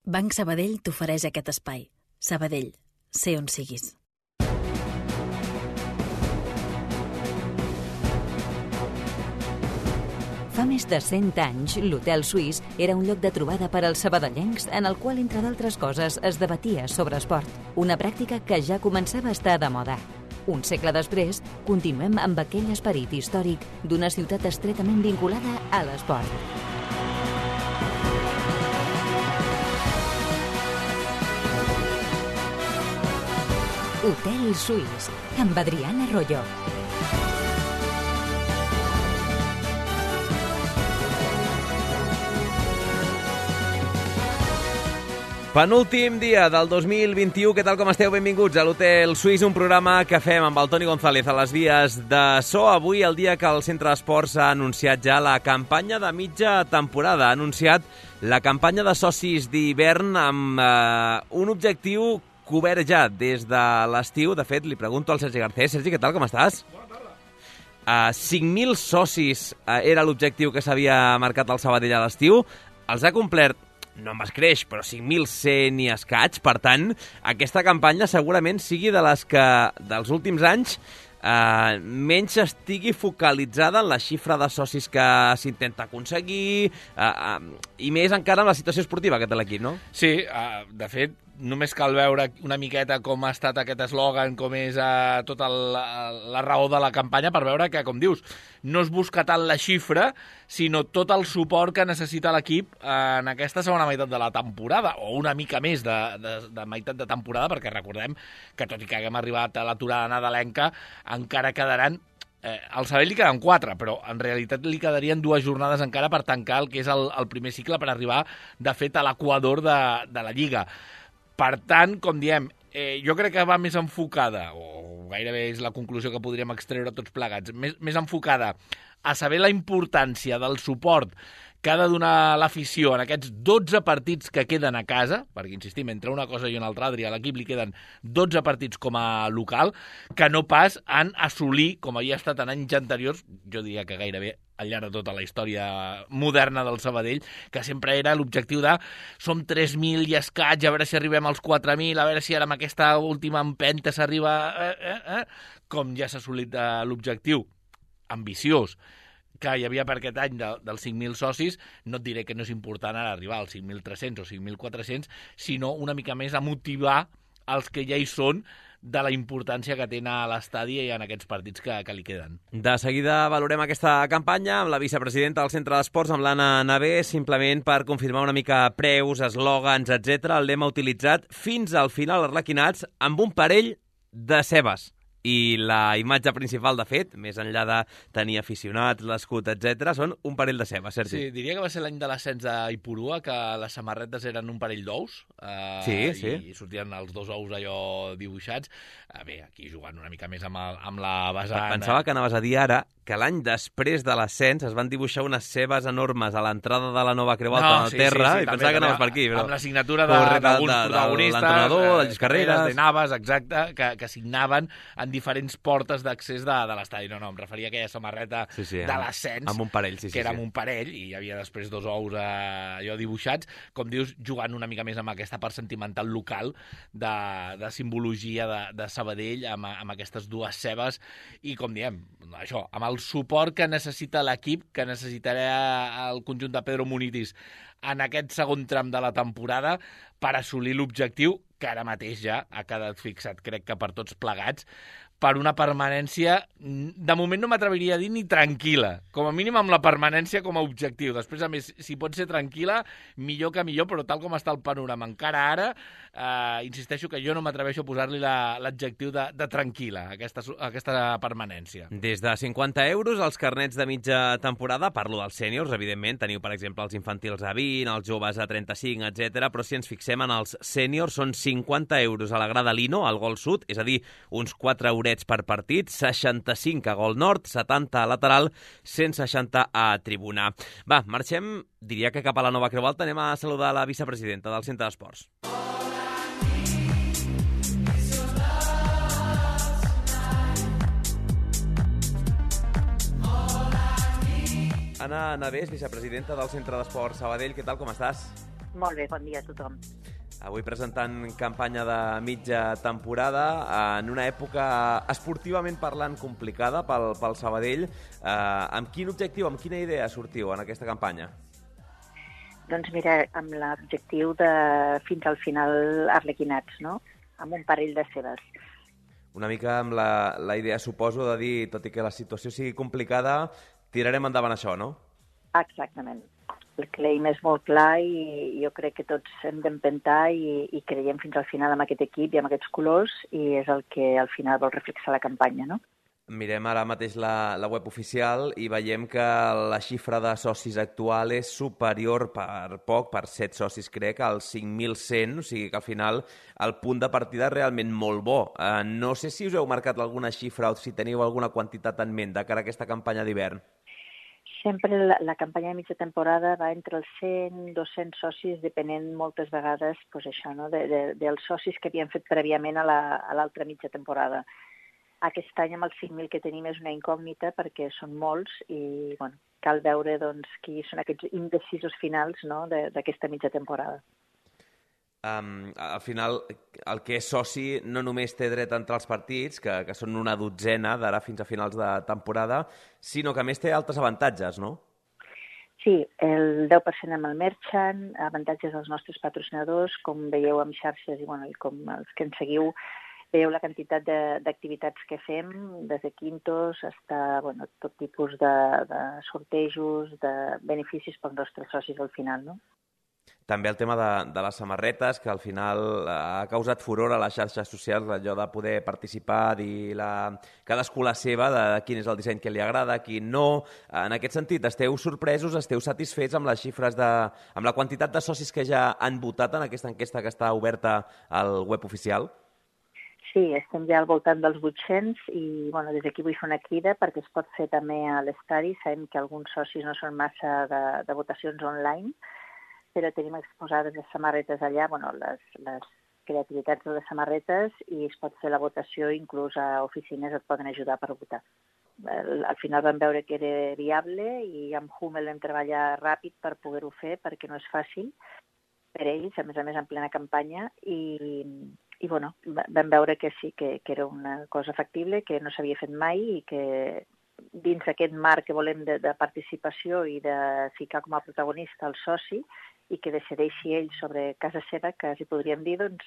Banc Sabadell t'ofereix aquest espai. Sabadell, sé on siguis. Fa més de 100 anys, l'Hotel Suís era un lloc de trobada per als sabadellencs en el qual, entre d'altres coses, es debatia sobre esport. Una pràctica que ja començava a estar de moda. Un segle després, continuem amb aquell esperit històric d'una ciutat estretament vinculada a l'esport. Hotel Suís, amb Adriana Arroyo. Penúltim dia del 2021, què tal com esteu? Benvinguts a l'Hotel Suís, un programa que fem amb el Toni González a les vies de so. Avui, el dia que el Centre d'Esports ha anunciat ja la campanya de mitja temporada. Ha anunciat la campanya de socis d'hivern amb un objectiu cobert ja des de l'estiu. De fet, li pregunto al Sergi Garcés. Sergi, què tal, com estàs? Bona tarda. 5.000 socis era l'objectiu que s'havia marcat el Sabadell a l'estiu. Els ha complert, no amb escreix, però 5.100 i escaig. Per tant, aquesta campanya segurament sigui de les que dels últims anys menys estigui focalitzada en la xifra de socis que s'intenta aconseguir i més encara amb la situació esportiva que té l'equip, no? Sí, de fet, només cal veure una miqueta com ha estat aquest eslògan, com és tota la raó de la campanya, per veure que, com dius, no es busca tant la xifra, sinó tot el suport que necessita l'equip en aquesta segona meitat de la temporada, o una mica més de meitat de temporada, perquè recordem que, tot i que haguem arribat a l'aturada nadalenca, encara quedaran al Sabadell li queden 4, però en realitat li quedarien 2 jornades encara per tancar el que és el primer cicle, per arribar, de fet, a l'equador de la Lliga. Per tant, com diem, jo crec que va més enfocada, o gairebé és la conclusió que podríem extreure tots plegats, més enfocada a saber la importància del suport que ha de donar l'afició en aquests 12 partits que queden a casa, perquè, insistim, entre una cosa i una altra, Adri, a l'equip li queden 12 partits com a local, que no pas en assolir, com havia estat en anys anteriors, jo diria que gairebé al llarg de tota la història moderna del Sabadell, que sempre era l'objectiu de som 3.000 i escaig, a veure si arribem als 4.000, a veure si ara amb aquesta última empenta s'arriba... Com ja s'ha assolit l'objectiu ambiciós que hi havia per aquest any dels 5.000 socis, no et diré que no és important ara arribar als 5.300 o 5.400, sinó una mica més a motivar els que ja hi són de la importància que tenen a l'estadi i en aquests partits que li queden. De seguida valorem aquesta campanya amb la vicepresidenta del Centre d'Esports, amb l'Anna Navé, simplement per confirmar una mica preus, eslògans, etc. L'hem utilitzat fins al final arlequinats amb un parell de cebes. I la imatge principal, de fet, més enllà de tenir aficionats, l'escut, etc., són un parell de cebes, Sergi. Sí, diria que va ser l'any de l'ascens d'Ipurua, que les samarretes eren un parell d'ous. Sí. I sortien els 2 ous allò dibuixats. Bé, aquí jugant una mica més amb la vessant. Pensava que anaves a dir ara que l'any després de l'ascens es van dibuixar unes cebes enormes a l'entrada de la nova Creu Alta al terra, i pensava que anaves per aquí. Però... amb la signatura d'alguns protagonistes, de l'entrenador, de Lluís Carreras, de Navas, exacte, que signaven en diferents portes d'accés de l'estadi. No, em referia a aquella samarreta de l'ascens, amb un parell, que era amb un parell, i hi havia després 2 ous allò dibuixats, com dius, jugant una mica més amb aquesta part sentimental local de simbologia de Sabadell, amb aquestes 2 cebes, i com diem, això, amb el suport que necessita l'equip, que necessitarà el conjunt de Pedro Munitis en aquest segon tram de la temporada per assolir l'objectiu que ara mateix ja ha quedat fixat, crec que per tots plegats, per una permanència, de moment no m'atreviria a dir ni tranquil·la, com a mínim amb la permanència com a objectiu. Després, a més, si pot ser tranquil·la, millor que millor, però tal com està el panorama encara ara, insisteixo que jo no m'atreveixo a posar-li l'adjectiu de tranquil·la, aquesta permanència. Des de 50 euros els carnets de mitja temporada, parlo dels sèniors, evidentment, teniu, per exemple, els infantils a 20, els joves a 35, etc. Però si ens fixem en els sèniors, són 50 euros a la grada Lino, al gol sud, és a dir, uns 4 eurets per partit, 65 a gol nord, 70 a lateral, 160 a tribuna. Va, marxem, diria que cap a la nova Creu Alta. Anem a saludar la vicepresidenta del Centre d'Esports. Anna Navés, vicepresidenta del Centre d'Esports Sabadell, què tal, com estàs? Molt bé, bon dia a tothom. Avui presentant campanya de mitja temporada en una època esportivament parlant complicada pel Sabadell. Amb quin objectiu, amb quina idea sortiu en aquesta campanya? Doncs mira, amb l'objectiu de fins al final arlequinats, no? Amb un parell de cebes. Una mica amb la idea, suposo, de dir, tot i que la situació sigui complicada, tirarem endavant això, no? Exactament. El claim és molt clar i jo crec que tots hem d'empentar i creiem fins al final amb aquest equip i amb aquests colors i és el que al final vol reflexar la campanya, no? Mirem ara mateix la web oficial i veiem que la xifra de socis actual és superior per poc, per 7 socis crec, als 5.100, o sigui que al final el punt de partida és realment molt bo. No sé si us heu marcat alguna xifra o si teniu alguna quantitat en ment de cara a aquesta campanya d'hivern. Sempre la campanya de mitja temporada va entre els 100 i 200 socis, depenent moltes vegades doncs això, no? dels socis que havien fet prèviament a l'altra mitja temporada. Aquest any amb els 5.000 que tenim és una incògnita perquè són molts i bueno, cal veure doncs, qui són aquests indecisos finals, no? d'aquesta mitja temporada. Al final, el que és soci no només té dret a entrar als partits, que són una dotzena d'ara fins a finals de temporada, sinó que a més té altres avantatges, no? Sí, el 10% amb el Merchant, avantatges dels nostres patrocinadors, com veieu amb xarxes i, bueno, i com els que ens seguiu, veieu la quantitat d'activitats que fem, des de quintos fins bueno, tot tipus de sortejos, de beneficis pels nostres socis al final, no? També el tema de les samarretes, que al final ha causat furor a les xarxes socials, allò de poder participar, dir cadascú la seva, de quin és el disseny que li agrada, quin no. En aquest sentit, esteu sorpresos, esteu satisfets amb les xifres, amb la quantitat de socis que ja han votat en aquesta enquesta que està oberta al web oficial? Sí, estem ja al voltant dels 800 i bueno, des d'aquí vull fer una crida perquè es pot fer també a l'estadi. Sabem que alguns socis no són massa de votacions online, però tenim exposades les samarretes allà, bueno, les creativitats de les samarretes i es pot fer la votació, inclús a oficines et poden ajudar per votar. Al final vam veure que era viable i amb Hummel vam treballar ràpid per poder-ho fer perquè no és fàcil per ells, a més en plena campanya i bueno, vam veure que sí, que era una cosa factible, que no s'havia fet mai i que dins d'aquest marc que volem de participació i de ficar com a protagonista el soci i que decideixi ell sobre casa seva, que si podríem dir, doncs,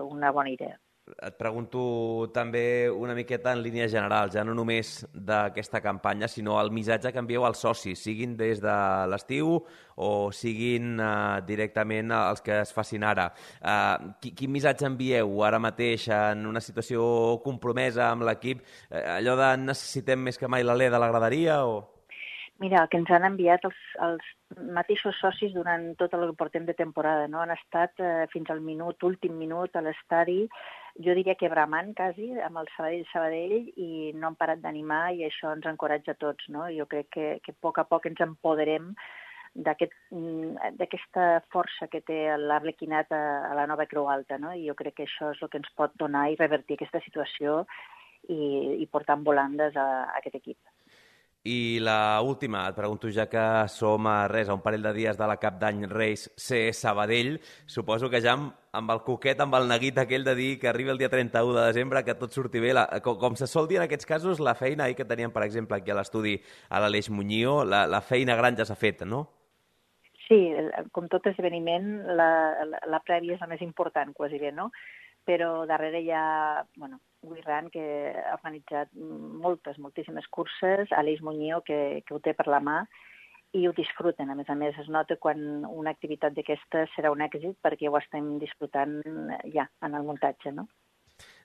una bona idea. Et pregunto també una miqueta en línies generals, ja no només d'aquesta campanya, sinó el missatge que envieu als socis, siguin des de l'estiu o siguin directament els que es facin ara. Quin missatge envieu ara mateix en una situació compromesa amb l'equip? Allò de necessitem més que mai l'alè de la graderia o...? Mira, el que ens han enviat els mateixos socis durant tot el que portem de temporada, no? Han estat fins al últim minut a l'estadi, jo diria que bramant quasi, amb el Sabadell i no han parat d'animar i això ens encoratja a tots, no? Jo crec que a poc ens empoderem d'aquesta força que té l'Arlequinat a la nova Creu Alta, no? I jo crec que això és el que ens pot donar i revertir aquesta situació i portar en volandes a aquest equip. I l'última, et pregunto, ja que som a un parell de dies de la Cap d'Any Reis C Sabadell, suposo que ja amb el coquet, amb el neguit aquell de dir que arriba el dia 31 de desembre, que tot surti bé. Com se sol dir en aquests casos, la feina que teníem, per exemple, aquí a l'estudi a l'Aleix Muñío, la feina gran ja s'ha fet, no? Sí, com tot esdeveniment, la prèvia és la més important, quasi bé, no? Però darrere hi ha, bueno, Guirran, que ha organitzat moltíssimes curses, Aleix Muñío, que ho té per la mà, i ho disfruten. A més, es nota quan una activitat d'aquesta serà un èxit perquè ho estem disfrutant ja en el muntatge, no?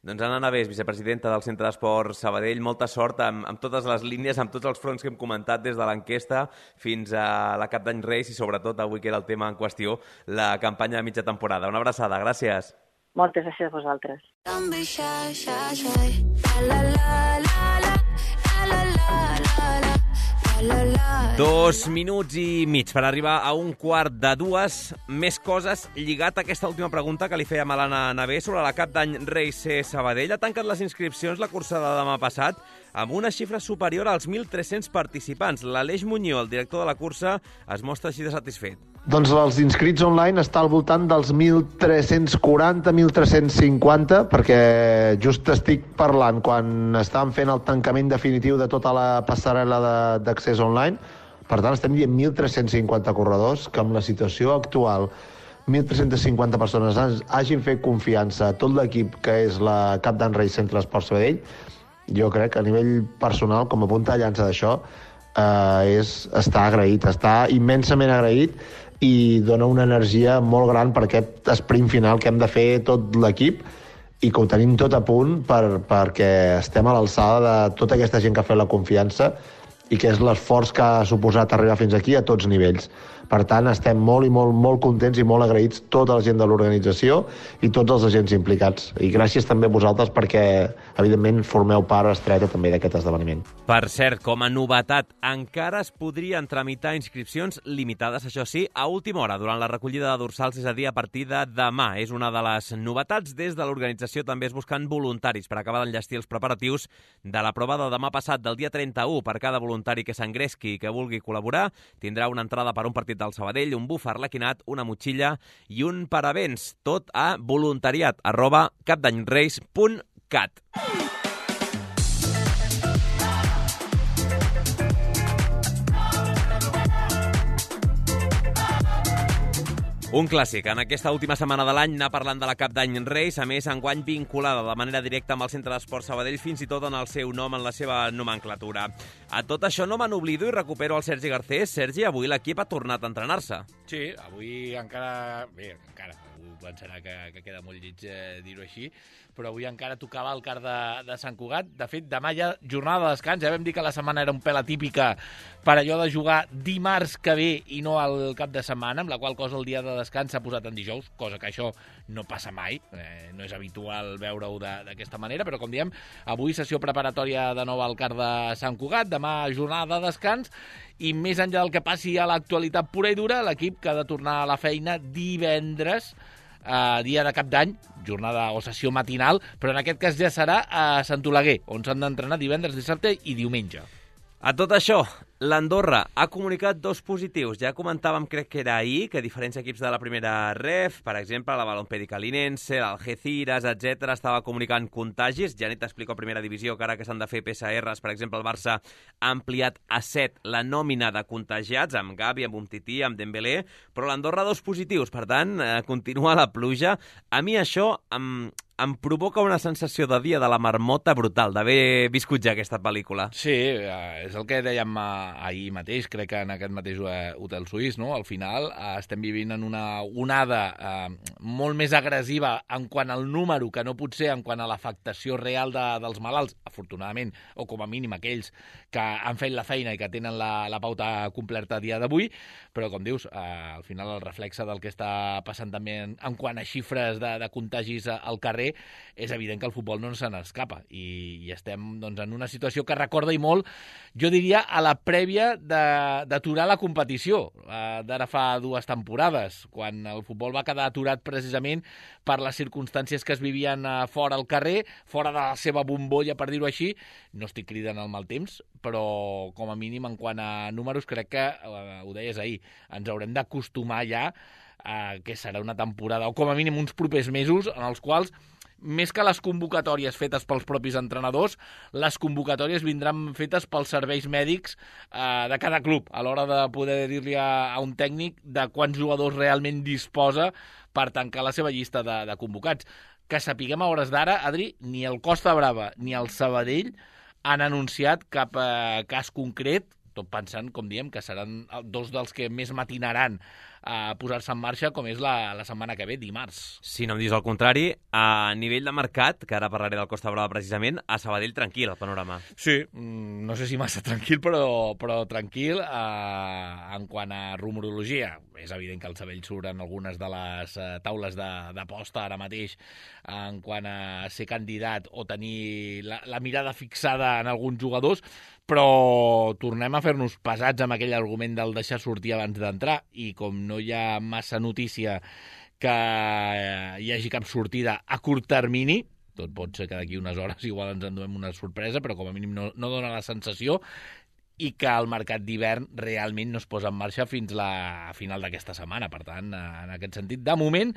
Doncs Anna Navés, vicepresidenta del Centre d'Esport Sabadell, molta sort amb totes les línies, amb tots els fronts que hem comentat des de l'enquesta fins a la Cap d'Any Reis i sobretot avui que era el tema en qüestió, la campanya de mitja temporada. Una abraçada, gràcies. Moltes gràcies a vosaltres. 2 minuts i mig per arribar a 1:15. Més coses lligat a aquesta última pregunta que li fèiem a l'Anna Navés sobre la Cap d'Any Reis C Sabadell. Ha tancat les inscripcions la cursa de demà passat amb una xifra superior als 1.300 participants. L'Aleix Muñío, el director de la cursa, es mostra així de satisfet. Doncs els inscrits online està al voltant dels 1.340, 1.350, perquè just estic parlant quan estàvem fent el tancament definitiu de tota la passarel·la d'accés online. Per tant, estem dient 1.350 corredors, que amb la situació actual 1.350 persones hagin fet confiança a tot l'equip que és la Cap d'Any Reis Centre d'Esport Sabadell. Jo crec que a nivell personal, com a punta de llança d'això, està agraït, està immensament agraït i dona una energia molt gran per aquest sprint final que hem de fer tot l'equip i que ho tenim tot a punt perquè estem a l'alçada de tota aquesta gent que ha fet la confiança i que és l'esforç que ha suposat arribar fins aquí a tots nivells. Per tant, estem molt i molt contents i molt agraïts tota la gent de l'organització i tots els agents implicats. I gràcies també a vosaltres perquè, evidentment, formeu part estreta també d'aquest esdeveniment. Per cert, com a novetat, encara es podrien tramitar inscripcions limitades, això sí, a última hora, durant la recollida de dorsals, és a dir, a partir de demà. És una de les novetats. Des de l'organització també es busquen voluntaris per acabar d'enllestir els preparatius de la prova de demà passat, del dia 31. Per cada voluntari que s'engresqui i que vulgui col·laborar, tindrà una entrada per un partit del Sabadell, un buf arlequinat, una motxilla i un parabens. Tot a voluntariat@capdanyreis.cat. Un clàssic. En aquesta última setmana de l'any anar parlant de la Cap d'Any Reis, a més, enguany vinculada de manera directa amb el Centre d'Esport Sabadell, fins i tot en el seu nom, en la seva nomenclatura. A tot això no me n'oblido i recupero el Sergi Garcés. Sergi, avui l'equip ha tornat a entrenar-se. Sí, avui encara... Bé, encara... Algú pensarà que queda molt lleig dir-ho així, però avui encara tocava el car de Sant Cugat. De fet, demà ja jornada de descans. Ja vam dir que la setmana era un pèl atípica per allò de jugar dimarts que ve i no al cap de setmana, amb la qual cosa el dia de descans s'ha posat en dijous, cosa que això no passa mai. No és habitual veure-ho d'aquesta manera, però com diem, avui sessió preparatòria de nou al car de Sant Cugat, demà jornada de descans, i més enllà del que passi a l'actualitat pura i dura, l'equip que ha de tornar a la feina divendres, dia de Cap d'Any, jornada o sessió matinal, però en aquest cas ja serà a Sant Oleguer, on s'han d'entrenar divendres, dissabte i diumenge. A tot això, l'Andorra ha comunicat 2 positius. Ja comentàvem, crec que era ahir, que diferents equips de la primera ref, per exemple, la Balompédica Linense, l'Algeciras, etc., estava comunicant contagis. Ja ni t'explico a primera divisió que ara que s'han de fer PCRs, per exemple, el Barça ha ampliat a 7 la nòmina de contagiats, amb Gavi, amb Umtiti, amb Dembélé, però l'Andorra 2 positius, per tant, continua la pluja. A mi això em provoca una sensació de dia de la marmota brutal, d'haver viscut ja aquesta pel·lícula. Sí, és el que dèiem ahir mateix, crec que en aquest mateix hotel suís, no? Al final estem vivint en una onada molt més agressiva en quant al número que no pot ser en quant a l'afectació real dels malalts, afortunadament, o com a mínim aquells que han fet la feina i que tenen la pauta completa a dia d'avui, però com dius, al final el reflexe del que està passant també en quant a xifres de contagis al carrer, és evident que el futbol no se n'escapa i estem doncs, en una situació que recorda i molt, jo diria, a la prèvia d'aturar la competició d'ara fa 2 temporades, quan el futbol va quedar aturat precisament per les circumstàncies que es vivien fora al carrer, fora de la seva bombolla, per dir-ho així. No estic cridant el mal temps, però com a mínim en quant a números crec que, ho deies ahir, ens haurem d'acostumar ja que serà una temporada, o com a mínim uns propers mesos, en els quals més que les convocatòries fetes pels propis entrenadors, les convocatòries vindran fetes pels serveis mèdics de cada club, a l'hora de poder dir-li a un tècnic de quants jugadors realment disposa per tancar la seva llista de convocats. Que sapiguem a hores d'ara, Adri, ni el Costa Brava ni el Sabadell han anunciat cap cas concret, tot pensant, com diem, que seran 2 dels que més matinaran a posar-se en marxa, com és la setmana que ve, dimarts. Si no em dius el contrari, a nivell de mercat, que ara parlaré del Costa Brava precisament, a Sabadell tranquil, el panorama. Sí, no sé si massa tranquil, però tranquil en quant a rumorologia. És evident que el Sabadell surt en algunes de les taules d'aposta ara mateix en quant a ser candidat o tenir la mirada fixada en alguns jugadors, però tornem a fer-nos pesats amb aquell argument del deixar sortir abans d'entrar, i com no hi ha massa notícia que hi hagi cap sortida a curt termini, tot pot ser que d'aquí unes hores igual ens enduem una sorpresa, però com a mínim no dona la sensació, i que el mercat d'hivern realment no es posa en marxa fins a final d'aquesta setmana. Per tant, en aquest sentit, de moment,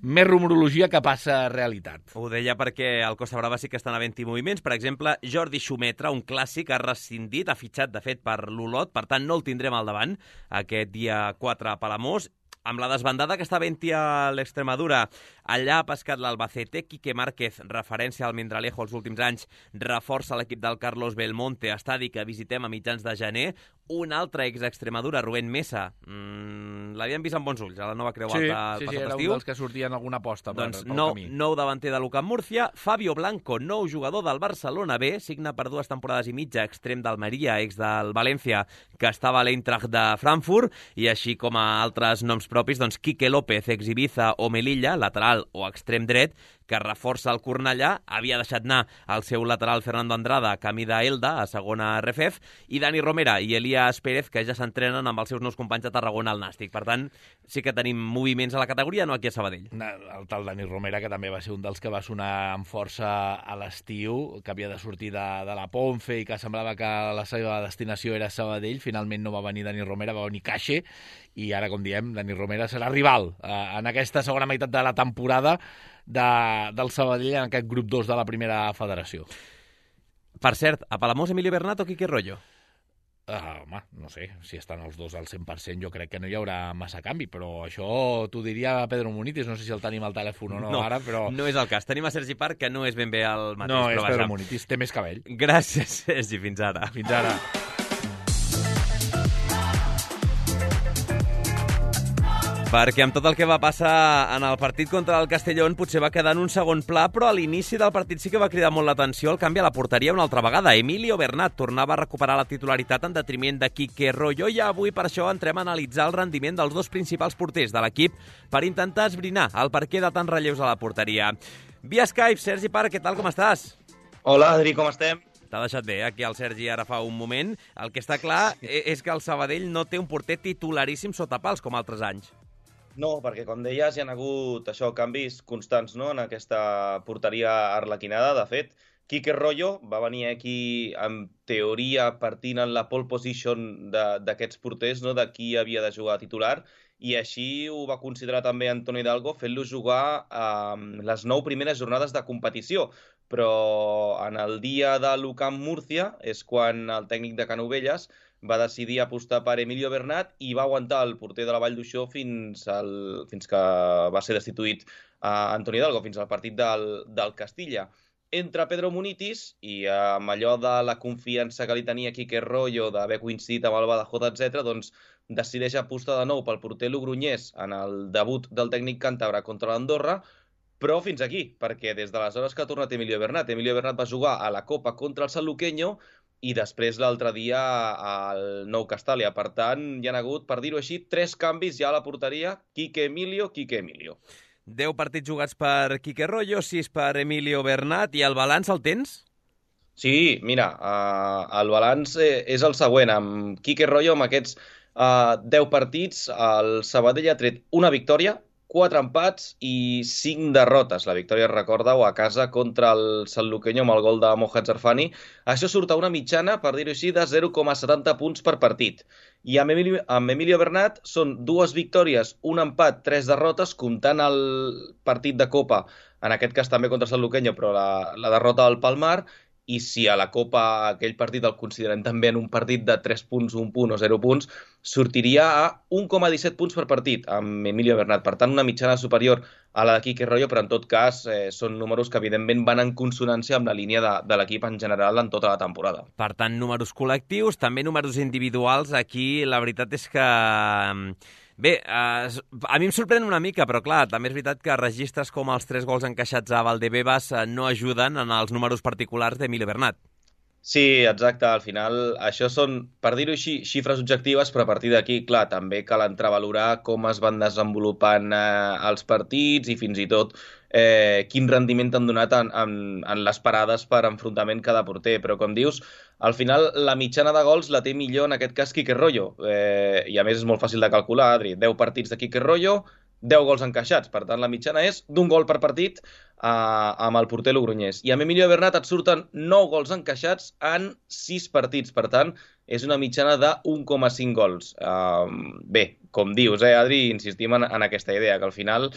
més rumorologia que passa realitat. Ho deia perquè al Costa Brava sí que estan havent-hi moviments. Per exemple, Jordi Xumetra, un clàssic, ha rescindit, ha fitxat, de fet, per l'Olot, per tant, no el tindrem al davant aquest dia 4 a Palamós. Amb la desbandada que està havent-hi a l'Extremadura, allà ha pescat l'Albacete. Quique Márquez, referència al Mindralejo els últims anys, reforça l'equip del Carlos Belmonte, estadi que visitem a mitjans de gener. Un altre ex-Extremadura, Rubén Mesa, l'havien vist amb bons ulls a la nova Creu Alta el passat estiu. Sí, era un dels que sortien alguna aposta pel camí. Nou davanter de l'UCAM Múrcia. Fabio Blanco, nou jugador del Barcelona B, signa per 2 temporades i mitja, extrem d'Almeria, ex del València, que estava a l'Eintracht de Frankfurt, i així com a altres noms propis, doncs Quique López, ex Ibiza o Melilla, lateral o extrem dret, que reforça el Cornellà, havia deixat anar el seu lateral Fernando Andrada, camí d'Elda, a segona RFF, i Dani Romera i Elias Pérez, que ja s'entrenen amb els seus nous companys de Tarragona al Nàstic. Per tant, sí que tenim moviments a la categoria, no aquí a Sabadell. El tal Dani Romera, que també va ser un dels que va sonar amb força a l'estiu, que havia de sortir de la Ponfe i que semblava que la seva destinació era Sabadell. Finalment no va venir Dani Romera, va venir Caixe, i ara, com diem, Dani Romera serà rival en aquesta segona meitat de la temporada del Sabadell en aquest grup 2 de la primera federació. Per cert, a Palamós, Emilio Bernat o Quique Rollo? Home, no sé, si estan els dos al 100% jo crec que no hi haurà massa canvi, però això t'ho diria Pedro Munitis, no sé si el tenim al telèfon o no ara, però... No és el cas, tenim a Sergi Park, que no és ben bé el mateix. No, és Pedro Munitis, té més cabell. Gràcies, Sergi, fins ara. Fins ara. Perquè amb tot el que va passar en el partit contra el Castellón potser va quedar en un segon pla, però a l'inici del partit sí que va cridar molt l'atenció el canvi a la porteria una altra vegada. Emilio Bernat tornava a recuperar la titularitat en detriment de Quique Rollo, i avui per això entrem a analitzar el rendiment dels dos principals porters de l'equip per intentar esbrinar el perquè de tants relleus a la porteria. Via Skype, Sergi Park, què tal, com estàs? Hola, Adri, com estem? T'ha deixat bé, aquí el Sergi ara fa un moment. El que està clar és que el Sabadell no té un porter titularíssim sota pals com altres anys. No, perquè com deies hi ha hagut canvis constants, no?, en aquesta porteria arlequinada. De fet, Quique Rollo va venir aquí en teoria partint en la pole position d'aquests porters, no?, de qui havia de jugar titular, i així ho va considerar també Antonio Hidalgo, fent-lo jugar les 9 primeres jornades de competició. Però en el dia de l'UCAM Múrcia és quan el tècnic de Canovelles va decidir apostar per Emilio Bernat i va aguantar el porter de la Vall d'Uixó fins que va ser destituït Antonio Hidalgo, fins al partit del Castilla. Entra Pedro Munitis i amb allò de la confiança que li tenia Quique Rollo d'haver coincidit amb el Badajoz, etc., doncs decideix apostar de nou pel porter logrunyès en el debut del tècnic càntabre contra l'Andorra, però fins aquí, perquè des d'aleshores que ha tornat Emilio Bernat va jugar a la Copa contra el Sanluqueño i després l'altre dia al Nou Castàlia. Per tant, hi ha hagut, per dir-ho així, 3 canvis ja a la porteria: Quique Emilio. 10 partits jugats per Quique Rollo, 6 per Emilio Bernat, i el balanç el tens? Sí, mira, el balanç és el següent. Amb Quique Rollo, amb aquests 10 partits, el Sabadell ha tret una victòria, 4 empats i 5 derrotes. La victòria, recordeu, a casa contra el Sanluqueño amb el gol de Mohamed Zarfani. Això surt a una mitjana, per dir-ho així, de 0,70 punts per partit. I amb Emilio Bernat són 2 victòries, un empat, 3 derrotes, comptant el partit de Copa, en aquest cas també contra el Sanluqueño, però la derrota del Palmar. I si a la Copa aquell partit el considerem també en un partit de 3 punts, 1 punt o 0 punts, sortiria a 1,17 punts per partit amb Emilio Bernat. Per tant, una mitjana superior a la de Quique Rollo, però en tot cas són números que evidentment van en consonància amb la línia de l'equip en general en tota la temporada. Per tant, números col·lectius, també números individuals. Aquí la veritat és que... Bé, a mi em sorprèn una mica, però clar, també és veritat que registres com els 3 gols encaixats a Valdebebas no ajuden en els números particulars d'Emilio Bernat. Sí, exacte. Al final, això són, per dir-ho així, xifres objectives, però a partir d'aquí, clar, també cal entrar a valorar com es van desenvolupant els partits i fins i tot quin rendiment han donat en les parades per enfrontament cada porter. Però, com dius, al final la mitjana de gols la té millor en aquest cas Quique Rollo. I a més és molt fàcil de calcular, Adri. 10 partits de Quique Rollo, 10 gols encaixats. Per tant, la mitjana és d'1 gol per partit amb el porter logroñès. I amb Emilio Bernat et surten 9 gols encaixats en 6 partits. Per tant, és una mitjana de 1,5 gols. Bé, com dius, Adri, insistim en aquesta idea, que al final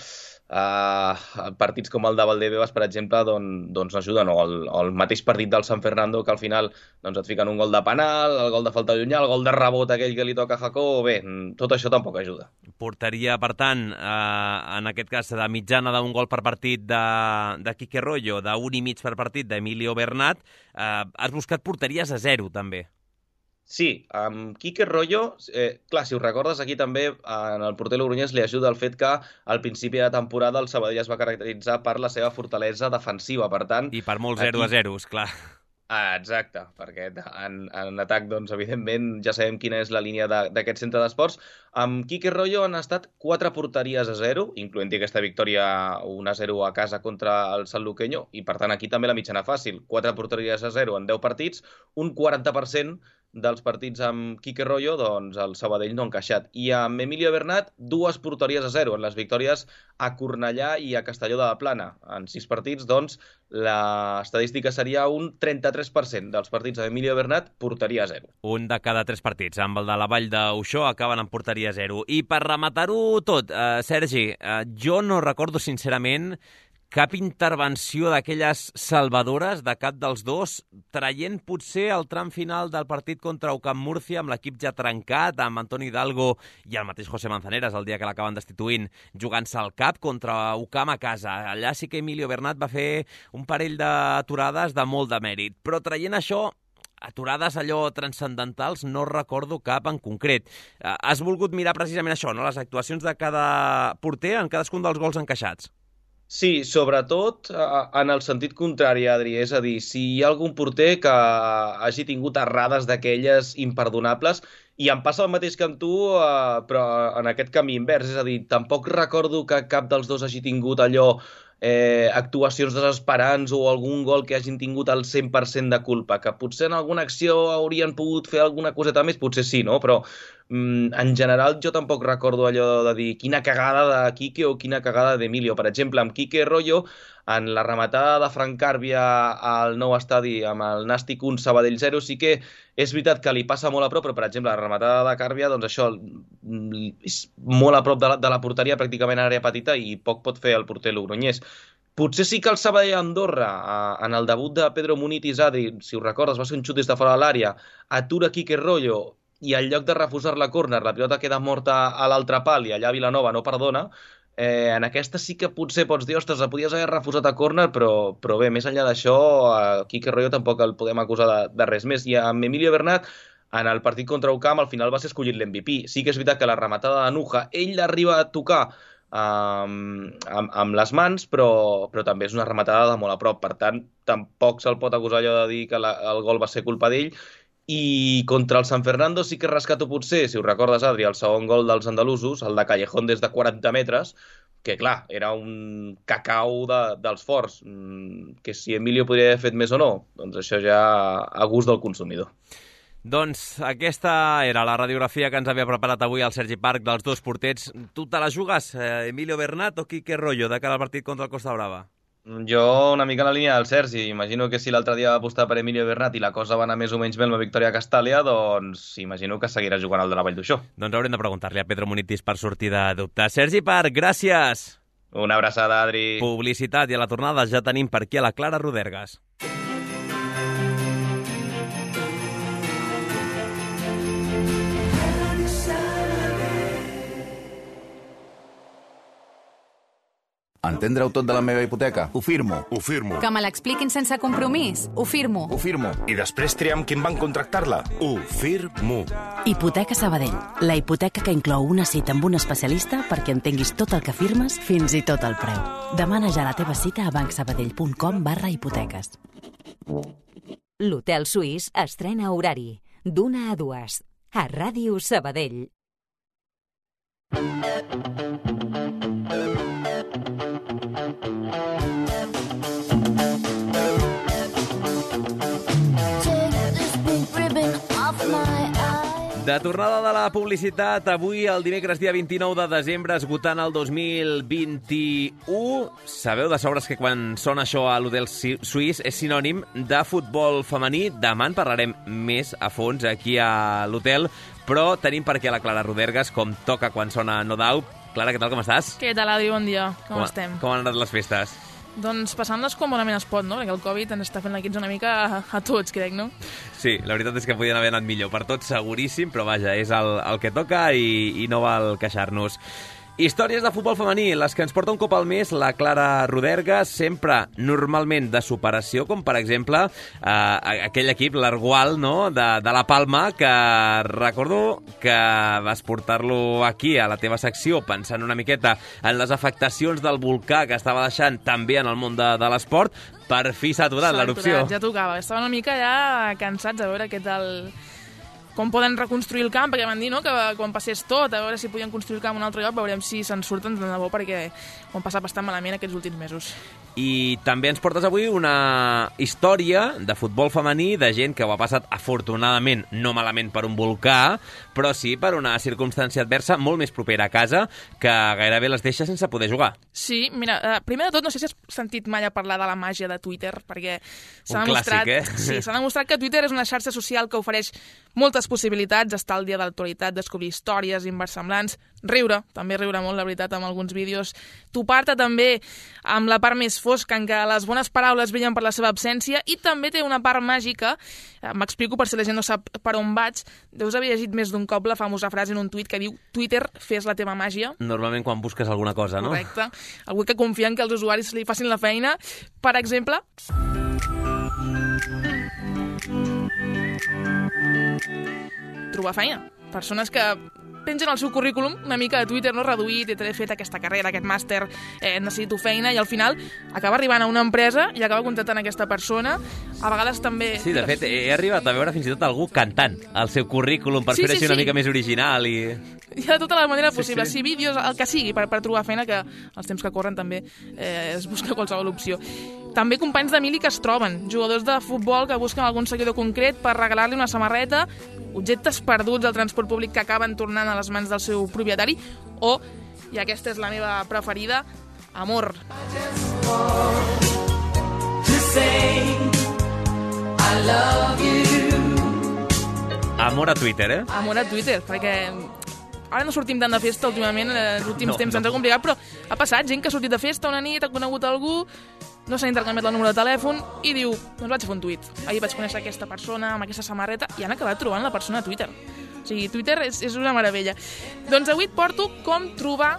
partits com el de Valdebebas, per exemple, doncs no ajuden, o el mateix partit del San Fernando, que al final et fiquen un gol de penal, el gol de falta llunyà, el gol de rebot aquell que li toca a Jacobo, bé, tot això tampoc ajuda. Porteria, per tant, en aquest cas, de mitjana d'un gol per partit de Quique Royo, d'1,5 per partit d'Emilio Bernat. Has buscat porteries a 0, també. Sí, amb Quique Royo, clar, si us recordes, aquí també en el porter logroñès li ajuda el fet que al principi de temporada el Sabadell es va caracteritzar per la seva fortalesa defensiva, per tant... I per molts 0-0, clar. Exacte, perquè en atac, doncs, evidentment, ja sabem quina és la línia d'aquest centre d'esports. Amb Quique Royo han estat 4 porteries a 0, incloent-hi aquesta victòria 1-0 a casa contra el Sanluqueño, i per tant aquí també la mitjana fàcil. 4 porteries a 0 en 10 partits, un 40% dels partits amb Quique Royo, doncs el Sabadell no ha encaixat. I amb Emilio Bernat, 2 porteries a 0 en les victòries a Cornellà i a Castelló de la Plana. En 6 partits, doncs, l'estadística seria un 33% dels partits amb Emilio Bernat, porteria a 0. Un de cada 3 partits. Amb el de la Vall d'Uixó acaben en porteria a 0. I per rematar-ho tot, Sergi, jo no recordo sincerament cap intervenció d'aquelles salvadores de cap dels dos, traient potser el tram final del partit contra UCAM Múrcia amb l'equip ja trencat, amb Antoni Hidalgo i el mateix José Manzaneras, el dia que l'acaben destituint, jugant-se al cap contra UCAM a casa. Allà sí que Emilio Bernat va fer un parell d'aturades de molt de mèrit, però traient això, aturades allò transcendentals, no recordo cap en concret. Has volgut mirar precisament això, no? Les actuacions de cada porter en cadascun dels gols encaixats. Sí, sobretot en el sentit contrari, Adri. És a dir, si hi ha algun porter que hagi tingut errades d'aquelles imperdonables, i em passa el mateix que amb tu, però en aquest camí invers. És a dir, tampoc recordo que cap dels dos hagi tingut allò actuacions desesperants o algun gol que hagin tingut el 100% de culpa, que potser en alguna acció haurien pogut fer alguna coseta més, potser sí, no? Però en general jo tampoc recordo allò de dir quina cagada de Quique o quina cagada d'Emilio. Per exemple, amb Quique Royo, en la rematada de Frank Càrbia al nou estadi amb el Nàstic 1, Sabadell 0, sí que és veritat que li passa molt a prop, però per exemple la rematada de Càrbia, doncs això és molt a prop de la porteria, pràcticament a àrea petita, i poc pot fer el porter logroñès. Potser sí que el Sabadell-Andorra, en el debut de Pedro Munitis, Adri, si us recordes, va ser un xut des de fora de l'àrea, atura Quique Royo, i en lloc de refusar la córner, la pilota queda morta a l'altre pal i allà Vilanova no perdona. En aquesta sí que potser pots dir, ostres, la podies haver refusat a córner, però bé, més enllà d'això, Quique Royo tampoc el podem acusar de res més. I amb Emilio Bernat, en el partit contra UCAM, al final va ser escollit l'MVP. Sí que és veritat que la rematada de Nuja, ell l'arriba a tocar amb les mans, però també és una rematada de molt a prop. Per tant, tampoc se'l pot acusar allò de dir que el gol va ser culpa d'ell. I contra el San Fernando sí que rescato potser, si us recordes, Adri, el segon gol dels andalusos, el de Callejón des de 40 metres, que clar, era un cacau dels forts, que si Emilio podria haver fet més o no, doncs això ja a gust del consumidor. Doncs aquesta era la radiografia que ens havia preparat avui el Sergi Parc dels dos porters. Tu te la jugues, Emilio Bernat o Quique Royo, de cara al partit contra el Costa Brava? Jo una mica en la línia del Sergi. Imagino que si l'altre dia va apostar per Emilio Bernat i la cosa va anar més o menys bé amb la victòria a Castàlia, doncs imagino que seguirà jugant al de la Vall d'Uixó. Doncs haurem de preguntar-li a Pedro Munitis per sortir de dubte. Sergi Parc, gràcies! Una abraçada, Adri. Publicitat, i a la tornada ja tenim per aquí a la Clara Rodergas. Entendre-ho tot de la meva hipoteca? Ho firmo. Ho firmo. Que me l'expliquin sense compromís? Ho firmo. Ho firmo. I després triar amb quin banc contractar-la? Ho firmo. Hipoteca Sabadell. La hipoteca que inclou una cita amb un especialista perquè entenguis tot el que firmes, fins i tot el preu. Demana ja la teva cita a bancsabadell.com/hipoteques. L'Hotel Suís estrena horari d'1 a 2 a Ràdio Sabadell. De tornada de la publicitat, avui, el dimecres dia 29 de desembre, esgotant el 2021. Sabeu de sobres que quan sona això a l'Hotel Suís és sinònim de futbol femení. Demà en parlarem més a fons aquí a l'hotel, però tenim per aquí a la Clara Rodergas, com toca quan sona No Doubt. Clara, què tal, com estàs? Què tal, Adi? Bon dia. Com estem? Com han anat les festes? Doncs passant-les com bonament es pot, no? Perquè el Covid ens està fent la quitza una mica a tots, crec, no? Sí, la veritat és que podien haver anat millor. Per tots seguríssim, però vaja, és el que toca i no val queixar-nos. Històries de futbol femení, les que ens porta un cop al mes la Clara Rodergas, sempre normalment de superació, com per exemple aquell equip, l'Argual, no?, de la Palma, que recordo que vas portar-lo aquí a la teva secció pensant una miqueta en les afectacions del volcà que estava deixant també en el món de l'esport. Per fi s'ha aturat l'erupció. Ja tocava, estava una mica ja cansats a veure què tal... com poden reconstruir el camp, perquè van dir, no?, que quan passés tot, a veure si podien construir el camp a un altre lloc, veurem si se'n surten de debò, perquè ho han passat bastant malament aquests últims mesos. I també ens portes avui una història de futbol femení, de gent que ho ha passat afortunadament, no malament per un volcà, però sí per una circumstància adversa molt més propera a casa, que gairebé les deixa sense poder jugar. Sí, mira, primer de tot, no sé si has sentit mai a parlar de la màgia de Twitter, perquè s'ha demostrat... Sí, s'ha demostrat que Twitter és una xarxa social que ofereix moltes possibilitats, estar al dia de l'actualitat, descobrir històries inversemblants, riure, també riure molt, la veritat, amb alguns vídeos, topar-te també amb la part més fosca, en què les bones paraules brillen per la seva absència, i també té una part màgica, m'explico per si la gent no sap per on vaig, deus haver llegit més d'un cop la famosa frase en un tuit que diu Twitter, fes la teva màgia. Normalment quan busques alguna cosa, no? Correcte. Algú que confia en que els usuaris li facin la feina. Per exemple... trobar feina. Persones que pengen el seu currículum una mica de Twitter, no reduït, he fet aquesta carrera, aquest màster, necessito feina, i al final acaba arribant a una empresa i acaba contractant aquesta persona. A vegades també... Sí, de fet, he arribat a veure fins i tot algú cantant el seu currículum per fer-ho així una mica més original i... Hi ha de tota la manera possible, sí, vídeos, el que sigui, per trobar feina, que els temps que corren també es busca qualsevol opció. També companys de mili que es troben, jugadors de futbol que busquen algun seguidor concret per regalar-li una samarreta, objectes perduts al transport públic que acaben tornant a les mans del seu propietari, o, i aquesta és la meva preferida, amor. Amor a Twitter, eh? Amor a Twitter, perquè... Ara no sortim tant de festa últimament, els últims temps ens ha complicat, però ha passat gent que ha sortit de festa una nit, ha conegut algú, no s'ha intercanviat el número de telèfon i diu, doncs vaig fer un tuit. Ahir vaig conèixer aquesta persona amb aquesta samarreta i han acabat trobant la persona a Twitter. O sigui, Twitter és una meravella. Doncs avui et porto com trobar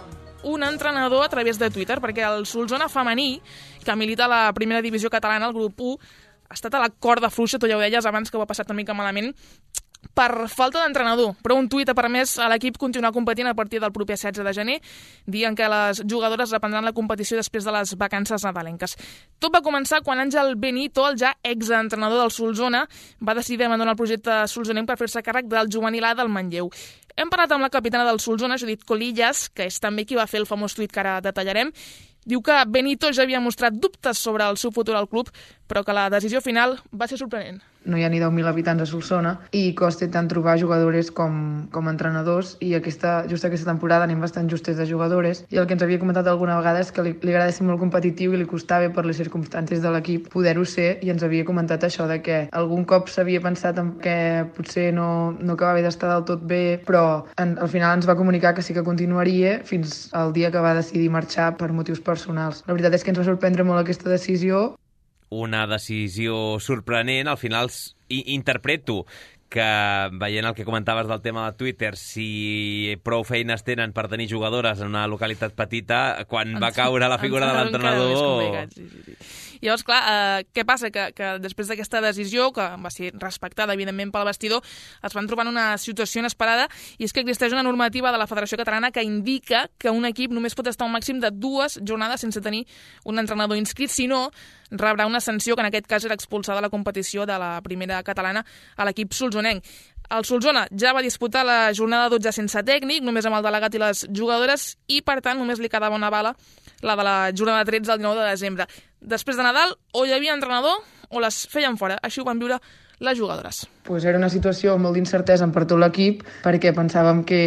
un entrenador a través de Twitter, perquè el Solsona femení, que milita a la primera divisió catalana, el grup 1, ha estat a la corda fluixa, tu ja ho deies abans que ho ha passat una mica malament, per falta d'entrenador, però un tuit ha permès a l'equip continuar competint a partir del proper 16 de gener, dient que les jugadores reprendran la competició després de les vacances nadalenques. Tot va començar quan Àngel Benito, el ja exentrenador del Solsona, va decidir abandonar el projecte solsonenc per fer-se càrrec del juvenil A del Manlleu. Hem parlat amb la capitana del Solsona, Judit Colillas, que és també qui va fer el famós tuit que ara detallarem. Diu que Benito ja havia mostrat dubtes sobre el seu futur al club, però que la decisió final va ser sorprenent. No hi ha ni 10.000 habitants a Solsona i costa tant trobar jugadores com entrenadors, i just aquesta temporada anem bastant justes de jugadores, i el que ens havia comentat alguna vegada és que li agrada ser molt competitiu i li costava per les circumstàncies de l'equip poder-ho ser, i ens havia comentat això de que algun cop s'havia pensat en que potser no acabava d'estar del tot bé, però al final ens va comunicar que sí que continuaria fins al dia que va decidir marxar per motius personals. La veritat és que ens va sorprendre molt aquesta decisió. Una decisió sorprenent, al final interpreto que, veient el que comentaves del tema de Twitter, si prou feines tenen per tenir jugadores en una localitat petita, quan va caure la figura de l'entrenador... I llavors, clar, què passa? Que després d'aquesta decisió, que va ser respectada, evidentment, pel vestidor, es van trobar en una situació inesperada, i és que existeix una normativa de la Federació Catalana que indica que un equip només pot estar un màxim de 2 jornades sense tenir un entrenador inscrit, si no, rebrà una sanció, que en aquest cas era expulsar de la competició de la primera catalana a l'equip solsonenc. El Solsona ja va disputar la jornada 12 sense tècnic, només amb el delegat i les jugadores, i per tant només li quedava una bala, la de la jornada 13 el 19 de desembre. Després de Nadal, o hi havia entrenador o les feien fora. Així ho van viure les jugadores. Pues era una situació molt d'incertesa per tot l'equip, perquè pensàvem que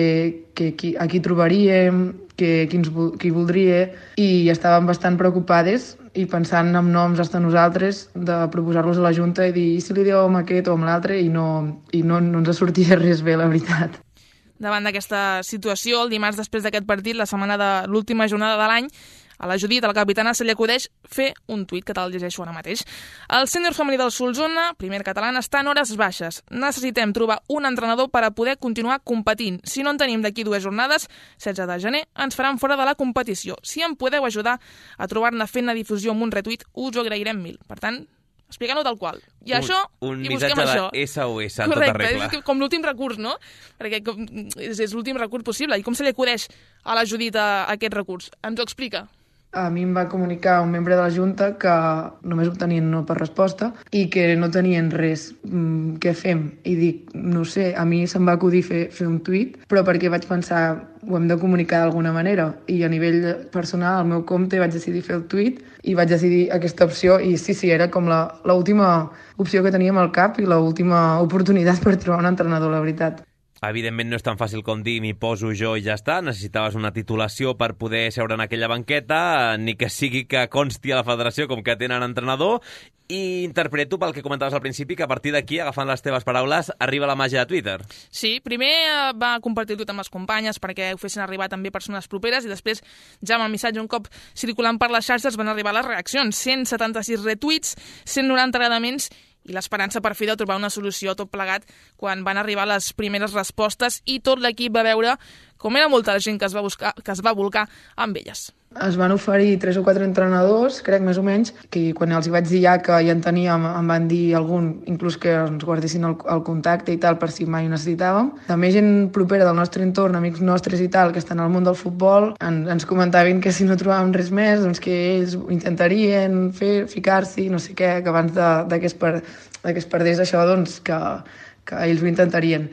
a qui trobaríem, qui voldria, i estàvem bastant preocupades i pensant en noms fins nosaltres de proposar-los a la Junta i dir si li dieu amb aquest o amb l'altre, i no ens sortia res bé, la veritat. Davant d'aquesta situació, el dimarts després d'aquest partit, la setmana de l'última jornada de l'any, a la Judit, a la capitana, se li acudeix fer un tuit, que te'l llegeixo ara mateix. El sènior femení del Solsona, primer català, està en hores baixes. Necessitem trobar un entrenador per a poder continuar competint. Si no en tenim d'aquí 2 jornades, 16 de gener, ens faran fora de la competició. Si em podeu ajudar a trobar-ne fent la difusió amb un retweet, us ho agrairem mil. Per tant, explicant-ho tal qual. I això, i busquem això. Un missatge de SOS en tota regla. Correcte, és com l'últim recurs, no? Perquè és l'últim recurs possible. I com se li acudeix a la Judit aquest recurs? Ens ho explica. A mi em va comunicar un membre de la Junta que només obtenien no per resposta i que no tenien res. Què fem? I dic, no sé, a mi se'm va acudir fer un tuit, però perquè vaig pensar, ho hem de comunicar d'alguna manera. I a nivell personal, al meu compte, vaig decidir fer el tuit i vaig decidir aquesta opció. I sí, era com l'última opció que teníem al cap i l'última oportunitat per trobar un entrenador, la veritat. Evidentment no és tan fàcil com dir m'hi poso jo i ja està. Necessitaves una titulació per poder seure en aquella banqueta, ni que sigui que consti a la federació com que tenen entrenador. I interpreto pel que comentaves al principi que a partir d'aquí, agafant les teves paraules, arriba la màgia de Twitter. Sí, primer va compartir tot amb les companyes perquè ho fessin arribar també persones properes i després, ja amb el missatge un cop circulant per les xarxes, van arribar les reaccions. 176 retuits, 190 agradaments i l'esperança per fi de trobar una solució tot plegat quan van arribar les primeres respostes i tot l'equip va veure com era molta la gent que es va volcar amb elles. Es van oferir 3 o 4 entrenadors, crec més o menys, que quan els hi vaig dir ja que ja en teníem, em van dir algun, inclús que ens guardessin el contacte i tal per si mai ho necessitàvem. També gent propera del nostre entorn, amics nostres i tal, que estan al món del futbol, ens comentaven que si no trobàvem res més, doncs que ells intentarien ficar-s'hi, no sé què, que abans de que es perdés això, doncs que ells ho intentarien.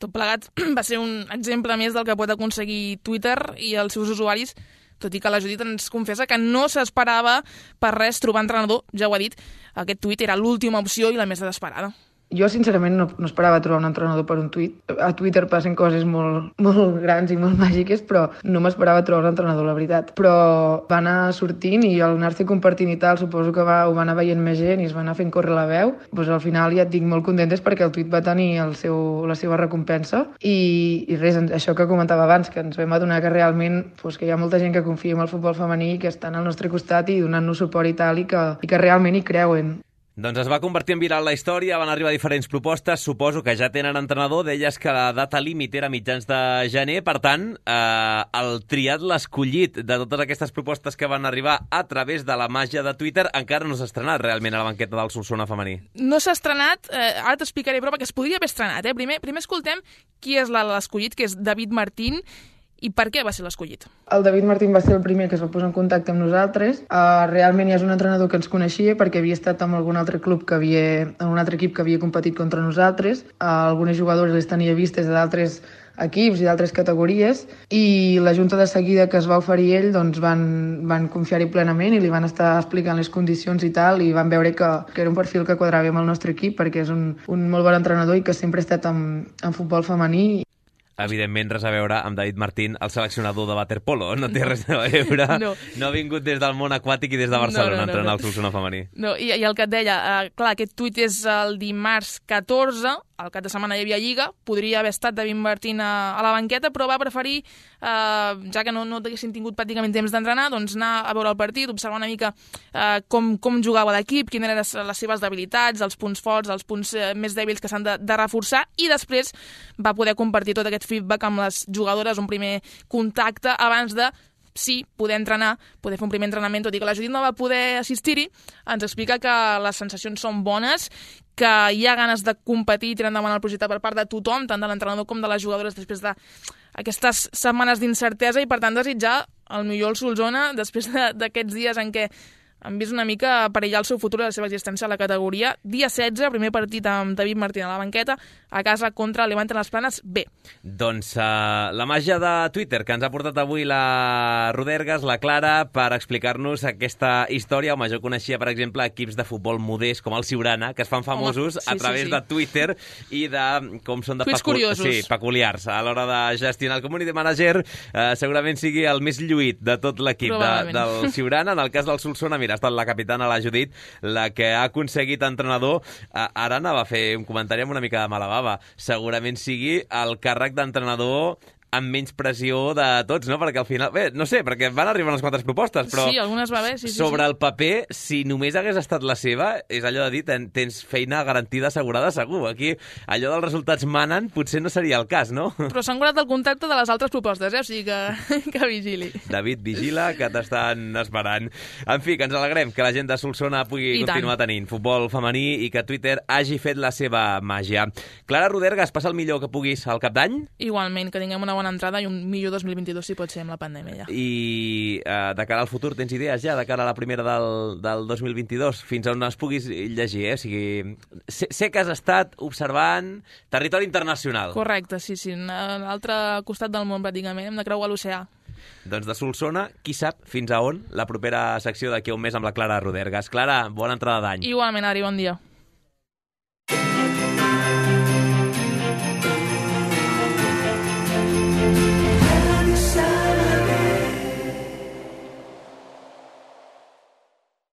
Tot plegat va ser un exemple més del que pot aconseguir Twitter i els seus usuaris, tot i que la Judit ens confessa que no s'esperava per res trobar entrenador, ja ho ha dit, aquest tuit era l'última opció i la més desesperada. Jo, sincerament, no esperava trobar un entrenador per un tuit. A Twitter passen coses molt grans i molt màgiques, però no m'esperava trobar un entrenador, la veritat. Però va anar sortint i al anar-se compartint i tal, suposo que ho va anar veient més gent i es va anar fent córrer la veu. Doncs al final ja et dic molt contentes perquè el tuit va tenir la seva recompensa i res, això que comentava abans, que ens vam adonar que realment que hi ha molta gent que confia en el futbol femení, que estan al nostre costat i donant-nos suport i tal, i que realment hi creuen. Doncs es va convertir en viral la història, van arribar diferents propostes, suposo que ja tenen entrenador, deies que la data límit era mitjans de gener, per tant, el triat, l'escollit de totes aquestes propostes que van arribar a través de la màgia de Twitter encara no s'ha estrenat realment a la banqueta del Solsona femení. No s'ha estrenat, ara t'explicaré, però perquè es podria haver estrenat. Primer escoltem qui és l'escollit, que és David Martín, i per què va ser l'escollit? El David Martín va ser el primer que es va posar en contacte amb nosaltres. Realment ja és un entrenador que ens coneixia perquè havia estat en algun altre club en un altre equip que havia competit contra nosaltres. Algunes jugadores les tenia vistes d'altres equips i d'altres categories i la Junta de seguida que es va oferir ell doncs van confiar-hi plenament i li van estar explicant les condicions i tal i van veure que era un perfil que quadrava amb el nostre equip perquè és un molt bon entrenador i que sempre ha estat en futbol femení. Evidentment, res a veure amb David Martín, el seleccionador de waterpolo. No té res a veure. No ha vingut des del món aquàtic i des de Barcelona a entrenar el Solsona femení. No, i el que et deia, clar, aquest tuit és el dimarts 14, al cap de setmana hi havia Lliga, podria haver estat David Martín a la banqueta, però va preferir, ja que no haguessin tingut pràcticament temps d'entrenar, doncs anar a veure el partit, observar una mica com jugava l'equip, quines eren les seves debilitats, els punts forts, els punts més dèbils que s'han de reforçar, i després va poder compartir tot aquest feedback amb les jugadores, un primer contacte abans de poder entrenar, poder fer un primer entrenament, tot i que la Judit no va poder assistir-hi, ens explica que les sensacions són bones, que hi ha ganes de competir i tirar endavant el projecte per part de tothom, tant de l'entrenador com de les jugadores, després d'aquestes setmanes d'incertesa i, per tant, desitjar el millor al Solsona després d'aquests dies en què han vist una mica perillar el seu futur i la seva existència a la categoria. Dia 16, primer partit amb David Martín a la banqueta, a casa contra el Levante Las Planes B. Doncs la màgia de Twitter que ens ha portat avui la Rodergas, la Clara, per explicar-nos aquesta història. Home, jo coneixia, per exemple, equips de futbol modest com el Siurana, que es fan famosos a través de Twitter i de com són de peculiars. A l'hora de gestionar el community manager, segurament sigui el més lluït de tot l'equip del Siurana. En el cas del Solsona, mira, ha estat la capitana, la Judit, la que ha aconseguit entrenador. Ara anava a fer un comentari amb una mica de mala bava. Segurament sigui el càrrec d'entrenador amb menys pressió de tots, no? Perquè al final... Bé, no sé, perquè van arribar unes quantes propostes, però... Sí, algunes va bé, sí. Sobre el paper, si només hagués estat la seva, és allò de dir, tens feina garantida, assegurada, segur. Aquí, allò dels resultats manen, potser no seria el cas, no? Però s'han guardat el contacte de les altres propostes, o sigui que vigili. David, vigila, que t'estan esperant. En fi, que ens alegrem que la gent de Solsona pugui continuar tenint futbol femení i que Twitter hagi fet la seva màgia. Clara Rodergas, passa el millor que puguis al cap d'any. Igualment, que tinguem una bona entrada i un millor 2022, si pot ser, amb la pandèmia ja. I de cara al futur, tens idees ja, de cara a la primera del 2022, fins on es puguis llegir, O sigui, sé que has estat observant territori internacional. Correcte, sí, a l'altre costat del món, pràcticament, hem de creuar l'oceà. Doncs de Solsona, qui sap fins a on la propera secció d'aquí a un mes amb la Clara Rodergas. Clara, bona entrada d'any. Igualment, Ari, bon dia.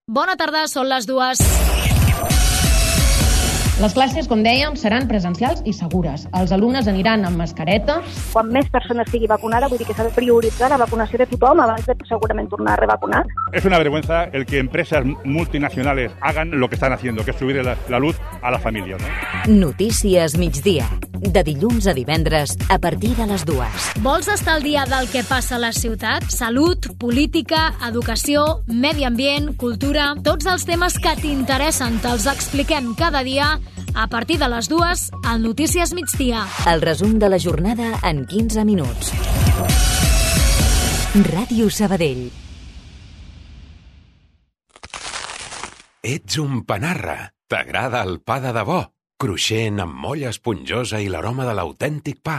Bona tarda, són les 2. Les classes, com dèiem, seran presencials i segures. Els alumnes aniran amb mascareta. Quan més persones estigui vacunada, vull dir que s'ha de prioritzar la vacunació de tothom abans de segurament tornar a revacunar. Es una vergüenza el que empresas multinacionales hagan lo que están haciendo, que es subir la luz a la familia, ¿no? Notícies migdia, de dilluns a divendres a partir de les 2. Vols estar al dia del que passa a la ciutat? Salut, política, educació, medi ambient, cultura... Tots els temes que t'interessen te'ls expliquem cada dia a partir de les 2 al Notícies migdia. El resum de la jornada en 15 minuts. Ràdio Sabadell. Ets un panarra. T'agrada el pa de debò? Cruixent, amb molla esponjosa i l'aroma de l'autèntic pa.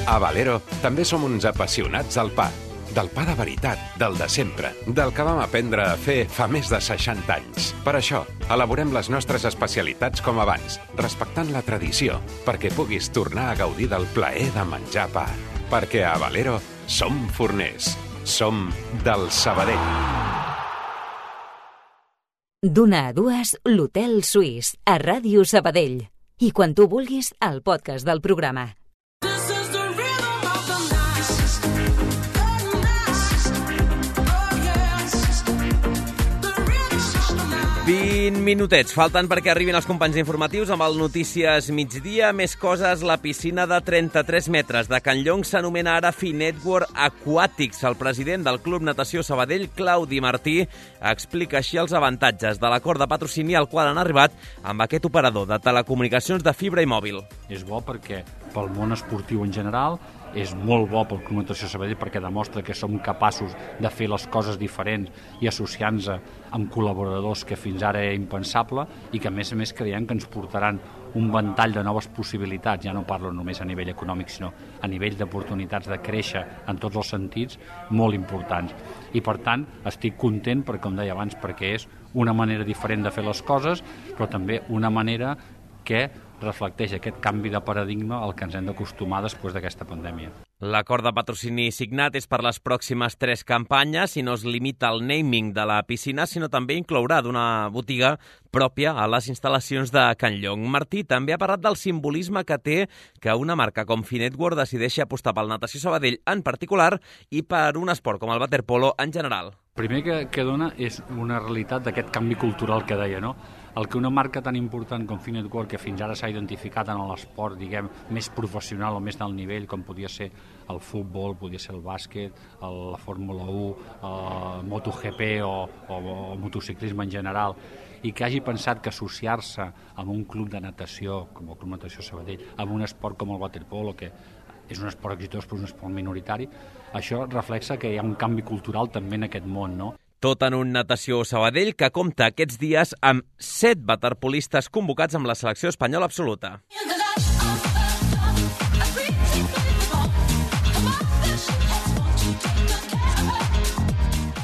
A Valero també som uns apassionats del pa. Del pa de veritat, del de sempre, del que vam aprendre a fer fa més de 60 anys. Per això, elaborem les nostres especialitats com abans, respectant la tradició, perquè puguis tornar a gaudir del plaer de menjar pa. Perquè a Valero som forners. Som del Sabadell. D'1 a 2, l'Hotel Suís, a Ràdio Sabadell. I quan tu vulguis, el podcast del programa. 20 minutets falten perquè arribin els companys informatius amb el Notícies migdia. Més coses, la piscina de 33 metres de Can Llong s'anomena ara Finetworld Aquatics. El president del Club Natació Sabadell, Claudi Martí, explica així els avantatges de l'acord de patrocini al qual han arribat amb aquest operador de telecomunicacions de fibra i mòbil. És bo perquè pel món esportiu en general, és molt bo pel Club Natació Sabadell perquè demostra que som capaços de fer les coses diferents i associant-nos amb col·laboradors que fins ara era impensable i que a més creiem que ens portaran un ventall de noves possibilitats. Ja no parlo només a nivell econòmic, sinó a nivell d'oportunitats de créixer en tots els sentits molt importants. I per tant estic content, perquè, com deia abans, perquè és una manera diferent de fer les coses, però també una manera que reflecteix aquest canvi de paradigma al que ens hem d'acostumar després d'aquesta pandèmia. L'acord de patrocini signat és per les pròximes 3 campanyes i no es limita al naming de la piscina, sinó també inclourà d'una botiga pròpia a les instal·lacions de Can Llong. Martí també ha parlat del simbolisme que té que una marca com Finetworld decideixi apostar pel Natació Sabadell en particular i per un esport com el waterpolo en general. Primer que dona és una realitat d'aquest canvi cultural que deia, no? El que una marca tan important com Finetworld, que fins ara s'ha identificat en l'esport, diguem, més professional o més d'alt nivell, com podia ser el futbol, podia ser el bàsquet, la Fórmula 1, el MotoGP o motociclisme en general, i que hagi pensat que associar-se amb un club de natació, com el Club Natació Sabadell, amb un esport com el waterpolo, que és un esport exitós però un esport minoritari, això reflexa que hi ha un canvi cultural també en aquest món, no? Tot en un Natació Sabadell que compta aquests dies amb 7 waterpolistes convocats amb la selecció espanyola absoluta.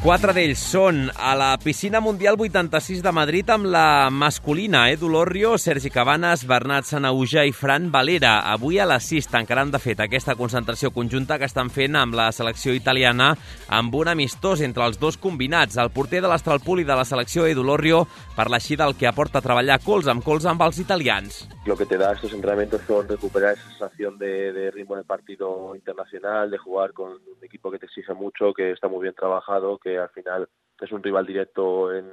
4 d'ells són a la Piscina Mundial 86 de Madrid amb la masculina, Edu Lorrio, Sergi Cabanes, Bernat Sanauja i Fran Valera. Avui a les 6 tancaran, de fet, aquesta concentració conjunta que estan fent amb la selecció italiana amb un amistós entre els dos combinats. El porter de l'Astralpool i de la selecció, Edu Lorrio, parla així del que aporta treballar colze amb els italians. Lo que te da estos entrenamientos son recuperar esa sensación de ritmo de partido internacional, de jugar con un equipo que te exige mucho, que está muy bien trabajado, que al final es un rival directo en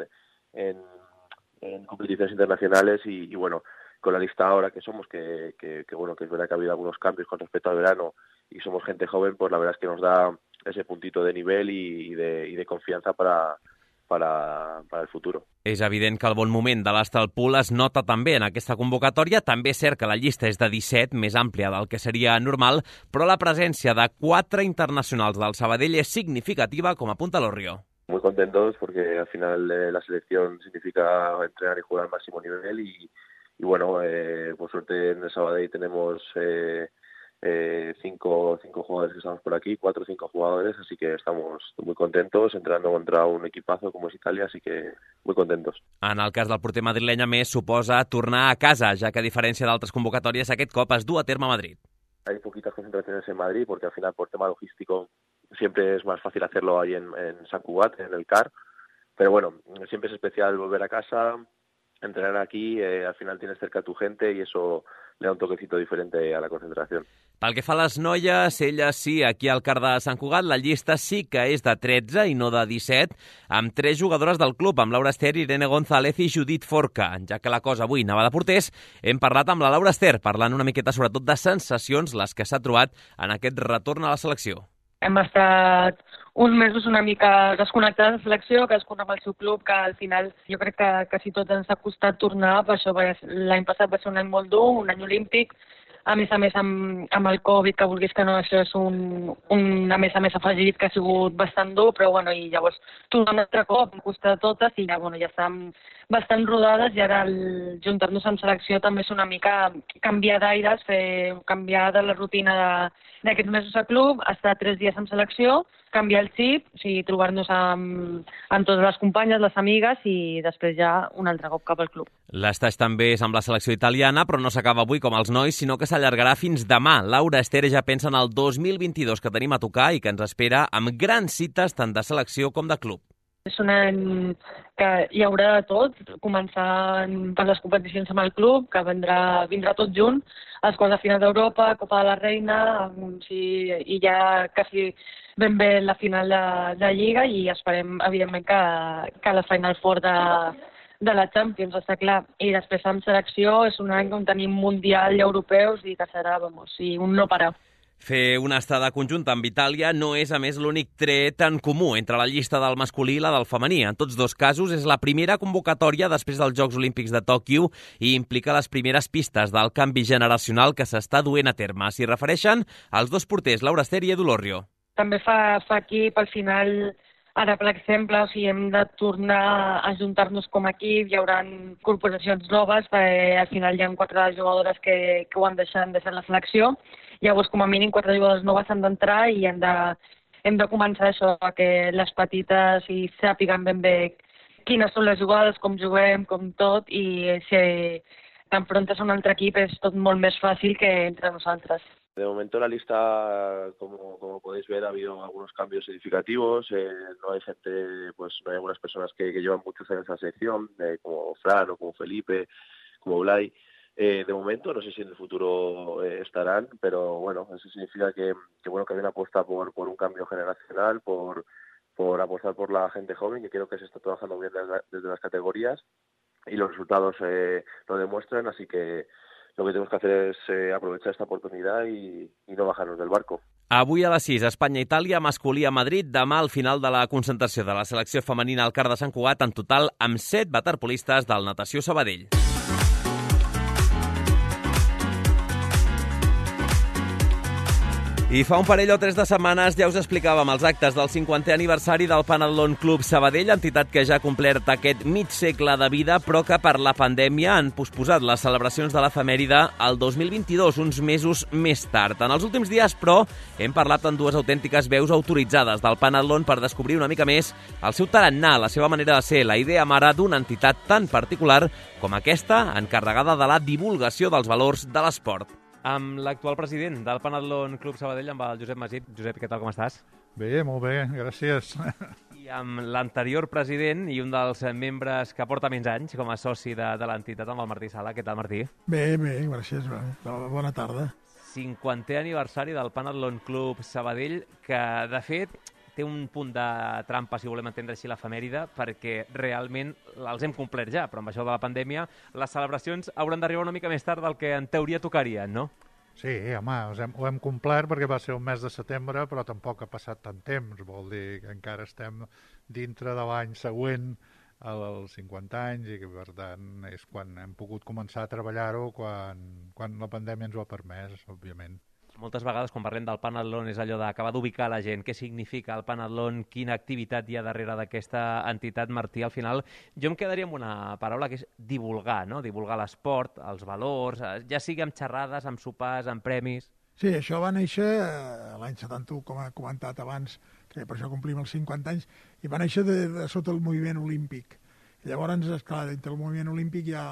competiciones internacionales y bueno, con la lista ahora que somos, que bueno, que es verdad que ha habido algunos cambios con respecto al verano y somos gente joven, pues la verdad es que nos da ese puntito de nivel y de confianza para el futuro. És evident que el bon moment de l'Astralpool es nota també en aquesta convocatòria. També és cert que la llista és de 17, més àmplia del que seria normal, però la presència de 4 internacionals del Sabadell és significativa, com apunta Lorrio. Muy contentos porque al final la selección significa entrenar y jugar al máximo nivel y bueno, por suerte en el Sabadell tenemos 5 jugadores que estamos por aquí, 4 o 5 jugadores, así que estamos muy contentos entrenando contra un equipazo como es Italia, así que muy contentos. En el cas del porter madrileny, a més, suposa tornar a casa, ja que a diferència d'altres convocatòries, aquest cop es du a terme a Madrid. Hay poquitas concentraciones en Madrid porque al final por tema logístico siempre es más fácil hacerlo ahí en Sant Cugat, en el CAR, pero bueno, siempre es especial volver a casa, entrenar aquí, al final tienes cerca a tu gente y eso le da un toquecito diferente a la concentración. Pel que fa a les noies, elles sí, aquí al CAR de Sant Cugat, la llista sí que és de 13 i no de 17, amb 3 jugadores del club, amb Laura Ester, Irene González i Judit Forca. Ja que la cosa avui anava de porters, hem parlat amb la Laura Ester, parlant una miqueta sobretot de sensacions, les que s'ha trobat en aquest retorn a la selecció. Hem estat uns mesos una mica desconnectats de la selecció, cadascun amb el seu club, que al final jo crec que quasi tots ens ha costat tornar, per això l'any passat va ser un any molt dur, un any olímpic, a més amb el Covid, que vulguis que no, això és un a més afegit que ha sigut bastant dur, però bueno, i llavors tornar un altre cop, em costa totes i ja, bueno, ja estem bastant rodades i ara juntar-nos amb selecció també és una mica canviar d'aires, canviar de la rutina d'aquests mesos a club, estar 3 dies amb selecció, canviar el xip, o sigui, trobar-nos amb totes les companyes, les amigues i després ja un altre cop cap al club. L'estaix també és amb la selecció italiana, però no s'acaba avui com els nois, sinó que s'allargarà fins demà. Laura Ester ja pensa en el 2022 que tenim a tocar i que ens espera amb grans cites tant de selecció com de club. És un any que hi haurà de tot, començant per les competicions amb el club, que vindrà tot junt, els quarts de final d'Europa, Copa de la Reina, i ja quasi ben bé la final de Lliga i esperem, evidentment, que la Final Four de la Champions, està clar. I després amb selecció és un any on tenim mundial i europeus i que serà, un no parar. Fer una estada conjunta amb Itàlia no és, a més, l'únic tret en comú entre la llista del masculí i la del femení. En tots dos casos és la primera convocatòria després dels Jocs Olímpics de Tòquio i implica les primeres pistes del canvi generacional que s'està duent a terme. S'hi refereixen als dos porters, Laura Ester i Edu Lorrio. També fa equip, al final, ara, per exemple, hem de tornar a juntar-nos com a equip, hi haurà corporacions noves, al final hi ha 4 jugadores que ho han deixat la selecció. Llavors, com a mínim, 4 jugadors noves han d'entrar i hem de començar això, que les petites sàpiguen ben bé quines són les jugades, com juguem, com tot, i si t'enfrontes a un altre equip és tot molt més fàcil que entre nosaltres. De momento en la lista, como podéis ver, ha habido algunos cambios significativos. No hay gente, no hay algunas personas que llevan muchos años en la selección, como Fran o como Felipe, como Blay. De momento, no sé si en el futuro estarán, pero bueno, eso significa que hay una apuesta por un cambio generacional, por apostar por la gente joven, que creo que se está trabajando bien desde las categorías y los resultados lo demuestran, así que lo que tenemos que hacer es aprovechar esta oportunidad y no bajarnos del barco. Avui a les 6, Espanya-Itàlia, masculí a Madrid. Demà al final de la concentració de la selecció femenina al CAR de Sant Cugat, en total amb 7 waterpolistes del Natació Sabadell. I fa un parell o 3 de setmanes ja us explicàvem els actes del 50è aniversari del Panathlon Club Sabadell, entitat que ja ha complert aquest mig segle de vida, però que per la pandèmia han posposat les celebracions de l'efemèride al 2022, uns mesos més tard. En els últims dies, però, hem parlat amb dues autèntiques veus autoritzades del Panathlon per descobrir una mica més el seu tarannà, la seva manera de ser, la idea mare d'una entitat tan particular com aquesta, encarregada de la divulgació dels valors de l'esport. Amb l'actual president del Panathlon Club Sabadell, amb el Josep Masip. Josep, què tal, com estàs? Bé, molt bé, gràcies. I amb l'anterior president i un dels membres que porta menys anys com a soci de l'entitat, amb el Martí Sala. Què tal, Martí? Bé, gràcies. Bona tarda. 50è aniversari del Panathlon Club Sabadell, que, de fet, té un punt de trampa, si volem entendre així l'efemèride, perquè realment els hem complert ja, però amb això de la pandèmia les celebracions hauran d'arribar una mica més tard del que en teoria tocarien, no? Sí, home, ho hem complert perquè va ser un mes de setembre, però tampoc ha passat tant temps, vol dir que encara estem dintre de l'any següent als 50 anys i que, per tant, és quan hem pogut començar a treballar-ho, quan la pandèmia ens ho ha permès, òbviament. Moltes vegades, quan parlem del Panathlon, és allò d'acabar d'ubicar la gent. Què significa el Panathlon? Quina activitat hi ha darrere d'aquesta entitat, Martí? Al final, jo em quedaria amb una paraula que és divulgar, no? Divulgar l'esport, els valors, ja sigui amb xerrades, amb sopars, amb premis... Sí, això va néixer l'any 71, com ha comentat abans, que per això complim els 50 anys, i va néixer sota el moviment olímpic. I llavors, esclar, dintre el moviment olímpic hi ha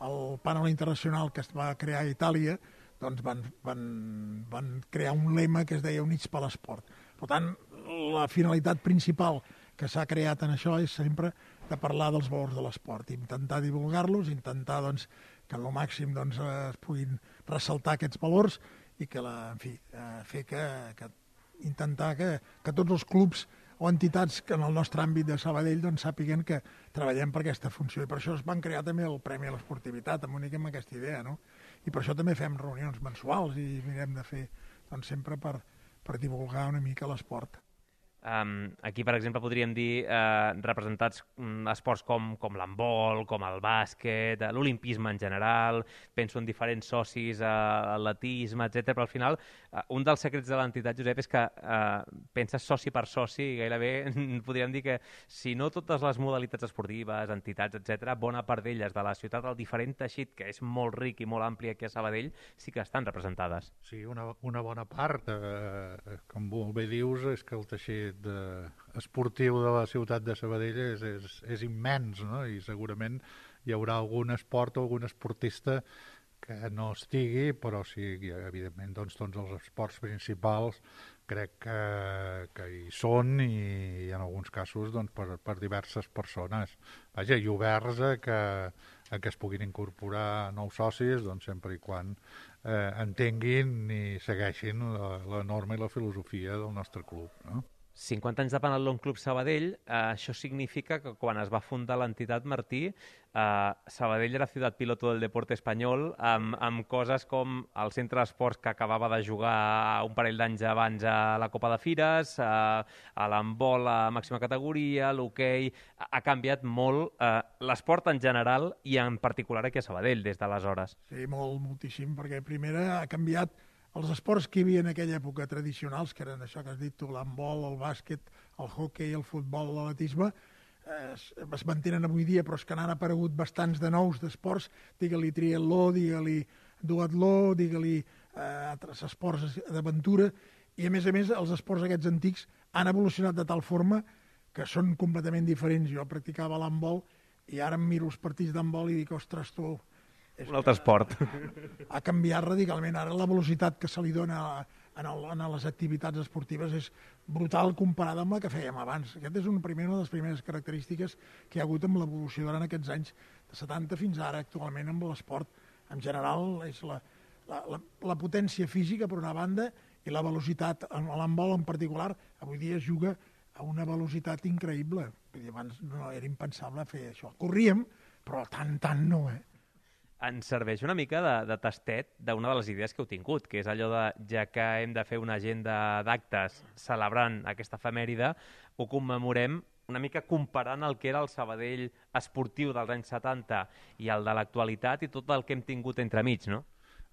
el Panel Internacional que es va crear a Itàlia, doncs van crear un lema que es deia Units per l'esport. Per tant, la finalitat principal que s'ha creat en això és sempre de parlar dels valors de l'esport, intentar divulgar-los, intentar doncs, que en el màxim doncs, es puguin ressaltar aquests valors i que, fer intentar que tots els clubs o entitats que en el nostre àmbit de Sabadell doncs, sàpiguen que treballem per aquesta funció. I per això es van crear també el Premi a l'Esportivitat, amb aquesta idea, no? I per això també fem reunions mensuals i mirem de fer doncs, sempre per divulgar una mica l'esport. Aquí, per exemple, podríem dir representats esports com l'handbol, com el bàsquet, l'olimpisme en general, penso en diferents socis, atletisme, etc. Però al final, un dels secrets de l'entitat, Josep, és que penses soci per soci i gairebé podríem dir que si no totes les modalitats esportives, entitats, etc., bona part d'elles de la ciutat, el diferent teixit, que és molt ric i molt ampli aquí a Sabadell, sí que estan representades. Sí, una bona part, com molt bé dius, és que el teixit esportiu de la ciutat de Sabadell és immens, no? I segurament hi haurà algun esport o algun esportista que no estigui, però sí, evidentment, doncs, tots els esports principals crec que hi són i en alguns casos doncs, per diverses persones. Vaja, i oberts a que es puguin incorporar nous socis doncs, sempre i quan entenguin i segueixin la norma i la filosofia del nostre club, no? 50 anys de Panathlon Club Sabadell, això significa que quan es va fundar l'entitat, Martí, Sabadell era ciutat piloto del deporte espanyol, amb coses com el centre d'esports que acabava de jugar un parell d'anys abans a la Copa de Fires, a l'handbol a màxima categoria, l'hoquei... Ha canviat molt l'esport en general i en particular aquí a Sabadell des d'aleshores. Sí, moltíssim, perquè primer ha canviat els esports que hi havia en aquella època tradicionals, que eren això que has dit tu, l'handbol, el bàsquet, el hoquei, el futbol, l'atletisme, es mantenen avui dia, però és que n'han aparegut bastants de nous d'esports, digue-li triatló, digue-li duatló, digue-li altres esports d'aventura, i a més els esports aquests antics han evolucionat de tal forma que són completament diferents. Jo practicava l'handbol i ara em miro els partits d'handbol i dic, ostres, tu... Un altre esport. Ha canviat radicalment. Ara la velocitat que se li dona a les activitats esportives és brutal comparada amb la que fèiem abans. Aquesta és una de les primeres característiques que hi ha hagut amb l'evolució durant aquests anys de 70 fins ara actualment amb l'esport. En general és la potència física per una banda i la velocitat. En l'handbol en particular avui dia es juga a una velocitat increïble. Abans no era impensable fer això. Corríem, però tant no, Ens serveix una mica de tastet d'una de les idees que heu tingut, que és allò de, ja que hem de fer una agenda d'actes celebrant aquesta efemèride, ho commemorem una mica comparant el que era el Sabadell esportiu dels anys 70 i el de l'actualitat i tot el que hem tingut entremig, no?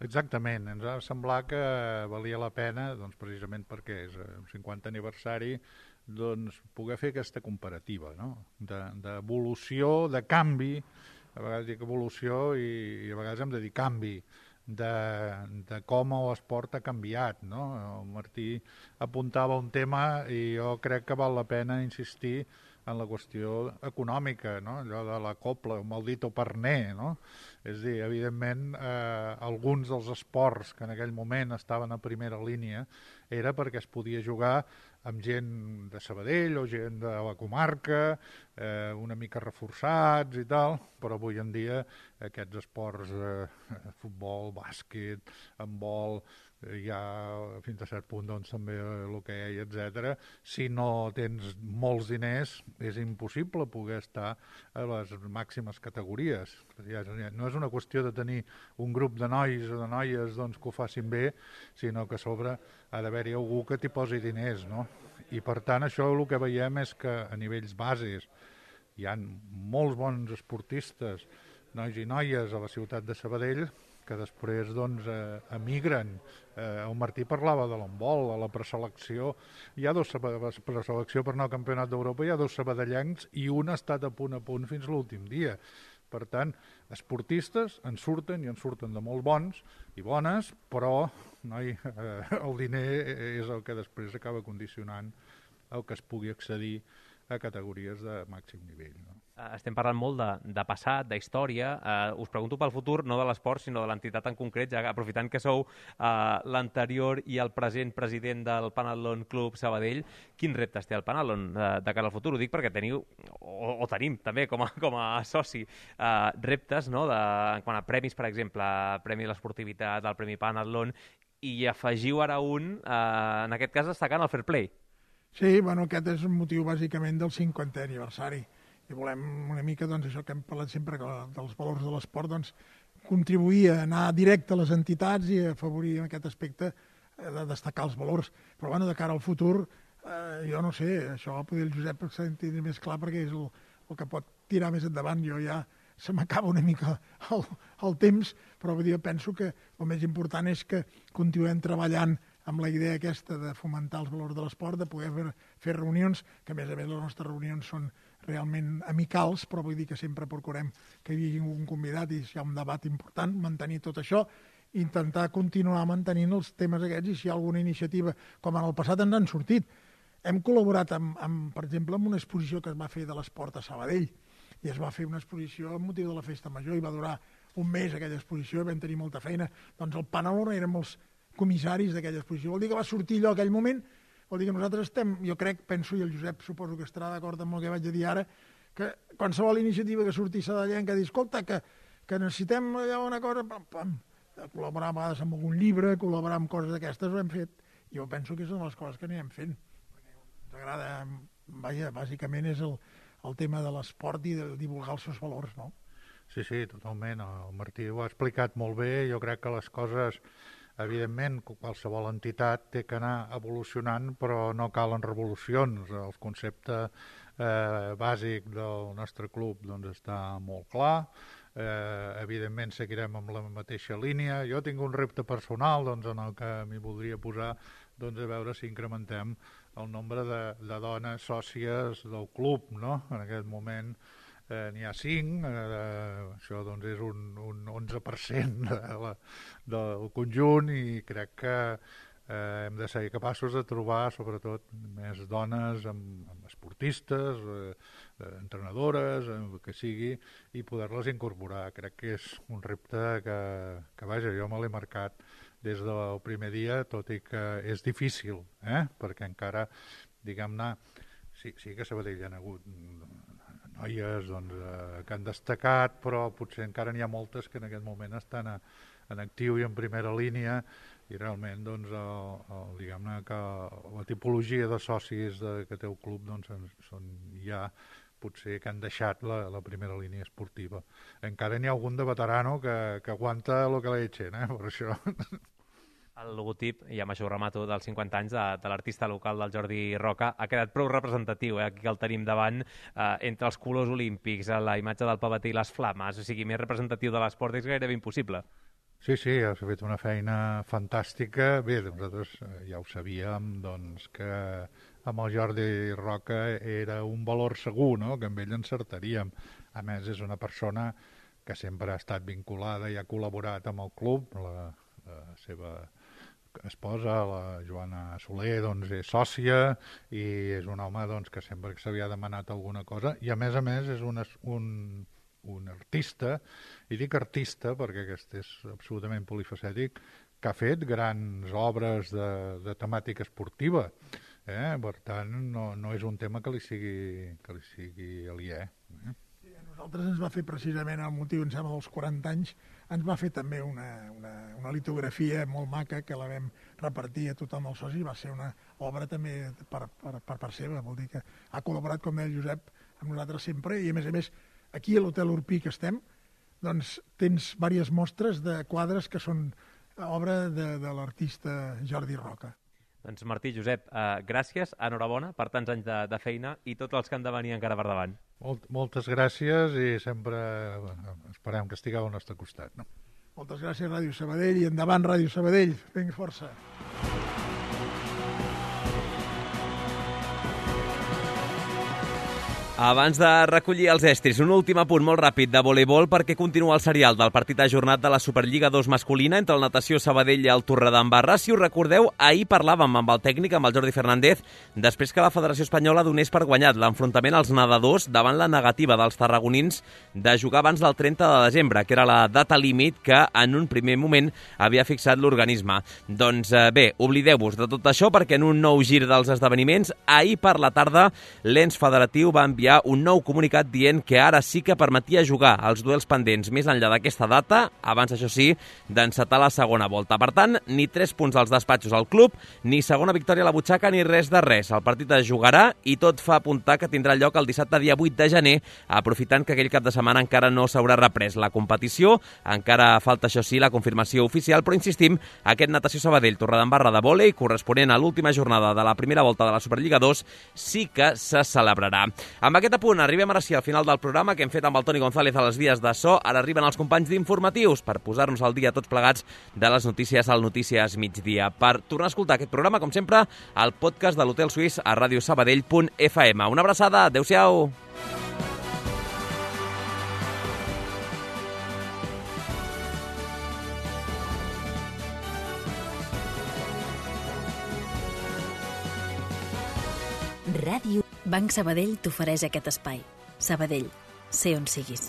Exactament, ens va semblar que valia la pena, doncs precisament perquè és un 50 aniversari, doncs poder fer aquesta comparativa, no? D'evolució, de canvi, a vegades dic evolució i a vegades hem de dir canvi, de com l'esport ha canviat, no? El Martí apuntava un tema i jo crec que val la pena insistir en la qüestió econòmica, no? Allò de la copla, el maldito parner, no? És a dir, evidentment, alguns dels esports que en aquell moment estaven a primera línia era perquè es podia jugar amb gent de Sabadell o gent de la comarca, una mica reforçats i tal, però avui en dia aquests esports, futbol, bàsquet, handbol, hi ha fins a cert punt doncs, també l'hoquei, etc. Si no tens molts diners, és impossible poder estar a les màximes categories. No és una qüestió de tenir un grup de nois o de noies doncs, que ho facin bé, sinó que a sobre ha d'haver-hi algú que t'hi posi diners, no? I per tant això el que veiem és que a nivells bases hi ha molts bons esportistes, nois i noies a la ciutat de Sabadell, que després doncs, emigren. El Martí parlava de l'handbol, a la preselecció. Hi ha preselecció per anar al Campionat d'Europa, hi ha 2 sabadellencs i un ha estat a punt fins l'últim dia. Per tant, esportistes en surten i en surten de molt bons i bones, però el diner és el que després acaba condicionant el que es pugui accedir a categories de màxim nivell. No? Estem parlant molt de passat, d'història. Us pregunto pel futur, no de l'esport, sinó de l'entitat en concret, ja aprofitant que sou l'anterior i el present president del Panathlon Club Sabadell. Quins reptes té el Panathlon de cara al futur? Ho dic perquè teniu, o tenim també com a soci, reptes, no? En quant a premis, per exemple, Premi de l'Esportivitat, el Premi Panathlon, i afegiu ara en aquest cas destacant el Fair Play. Sí, bueno, aquest és un motiu bàsicament del 50è aniversari. I volem una mica, doncs, això que hem parlat sempre dels valors de l'esport, doncs, contribuir a anar directe a les entitats i a afavorir en aquest aspecte de destacar els valors. Però, bueno, de cara al futur, jo no sé, això potser el Josep s'entén més clar perquè és el que pot tirar més endavant. Jo ja se m'acaba una mica el temps, però jo penso que el més important és que continuem treballant amb la idea aquesta de fomentar els valors de l'esport, de poder fer reunions, que a més les nostres reunions són realment amicals, però vull dir que sempre procurem que hi hagi un convidat i si hi ha un debat important, mantenir tot això, intentar continuar mantenint els temes aquests i si hi ha alguna iniciativa, com en el passat ens han sortit. Hem col·laborat, per exemple, amb una exposició que es va fer de l'esport a Sabadell, i es va fer una exposició amb motiu de la Festa Major i va durar un mes aquella exposició i vam tenir molta feina. Doncs el Panathlon érem els comissaris d'aquella exposició. Vol dir que va sortir allò aquell moment, vol dir que nosaltres estem, jo crec, penso, i el Josep suposo que estarà d'acord amb el que vaig a dir ara, que qualsevol iniciativa que surti sabadellenca dir, escolta, que necessitem allà una cosa, col·laborar a vegades amb algun llibre, col·laborar amb coses d'aquestes, ho hem fet. Jo penso que són les coses que anirem fent. Ens agrada, vaja, bàsicament és el tema de l'esport i de divulgar els seus valors, no? Sí, totalment. El Martí ho ha explicat molt bé. Jo crec que les coses, evidentment, qualsevol entitat té que anar evolucionant, però no calen revolucions. El concepte bàsic del nostre club doncs, està molt clar. Evidentment seguirem amb la mateixa línia. Jo tinc un repte personal doncs, en el que m'hi voldria posar doncs, a veure si incrementem el nombre de dones sòcies del club, no? En aquest moment n'hi ha 5, això doncs, és un 11% del conjunt i crec que hem de ser capaços de trobar sobretot més dones amb esportistes, entrenadores, el que sigui, i poder-les incorporar. Crec que és un repte que vaja, jo me l'he marcat des del primer dia, tot i que és difícil, perquè encara, diguem-ne, sí que a Sabadell hi ha hagut noies doncs, que han destacat, però potser encara n'hi ha moltes que en aquest moment estan en actiu i en primera línia i realment doncs, diguem-ne que la tipologia de socis que té el club doncs, són ja potser que han deixat la primera línia esportiva. Encara n'hi ha algun de veterano que aguanta el que l'echen, per això. El logotip, i amb això ho remato, dels 50 anys de l'artista local del Jordi Roca ha quedat prou representatiu, aquí que el tenim davant, entre els colors olímpics, la imatge del pavete i les flames, o sigui, més representatiu de l'esport és gairebé impossible. Sí, s'ha fet una feina fantàstica. Bé, nosaltres ja ho sabíem, doncs, que amb el Jordi Roca era un valor segur, no?, que amb ell encertaríem. A més, és una persona que sempre ha estat vinculada i ha col·laborat amb el club. La seva esposa, la Joana Soler, doncs, és sòcia i és un home, doncs, que sempre se li ha demanat alguna cosa, i a més és un artista, i dic artista perquè aquest és absolutament polifacètic, que ha fet grans obres de temàtica esportiva. Per tant, no és un tema que li sigui aliè. Nosaltres ens va fer precisament el motiu, em sembla, dels 40 anys, ens va fer també una litografia molt maca que la vam repartir a tothom els socis. Va ser una obra també per part seva, vol dir que ha col·laborat, com deia el Josep, amb nosaltres sempre, i a més, aquí a l'Hotel Urpí que estem, doncs tens diverses mostres de quadres que són obra de l'artista Jordi Roca. Doncs Martí, Josep, gràcies, enhorabona per tants anys de feina i tots els que han de venir encara per davant. Moltes gràcies i sempre esperem que estigueu al nostre costat. No? Moltes gràcies, Ràdio Sabadell, i endavant, Ràdio Sabadell. Vinga, força. Abans de recollir els estris, un últim apunt molt ràpid de voleibol perquè continua el serial del partit ajornat de la Superliga 2 masculina entre el Natació Sabadell i el Torredembarra. Si us recordeu, ahir parlàvem amb el tècnic, amb el Jordi Fernández, després que la Federació Espanyola donés per guanyat l'enfrontament als nedadors davant la negativa dels tarragonins de jugar abans del 30 de desembre, que era la data límit que en un primer moment havia fixat l'organisme. Doncs bé, oblideu-vos de tot això perquè en un nou gir dels esdeveniments, ahir per la tarda l'ens federatiu va enviar un nou comunicat dient que ara sí que permetia jugar els duels pendents més enllà d'aquesta data, abans, això sí, d'encetar la segona volta. Per tant, ni 3 punts als despatxos al club, ni segona victòria a la butxaca, ni res de res. El partit es jugarà i tot fa apuntar que tindrà lloc el dissabte dia 8 de gener, aprofitant que aquell cap de setmana encara no s'haurà reprès la competició. Encara falta, això sí, la confirmació oficial, però insistim, aquest Natació Sabadell Torredembarra de vòlei, corresponent a l'última jornada de la primera volta de la Superliga 2, sí que se celebrarà. Amb aquest apunt arribem ara sí al final del programa que hem fet amb el Toni González a les vies de so. Ara arriben els companys d'informatius per posar-nos al dia tots plegats de les notícies al Notícies Migdia. Per tornar a escoltar aquest programa, com sempre, al podcast de l'Hotel Suís a radiosabadell.fm. Una abraçada, adeu-siau! Ràdio Banc Sabadell t'ofereix aquest espai. Sabadell, sé on siguis.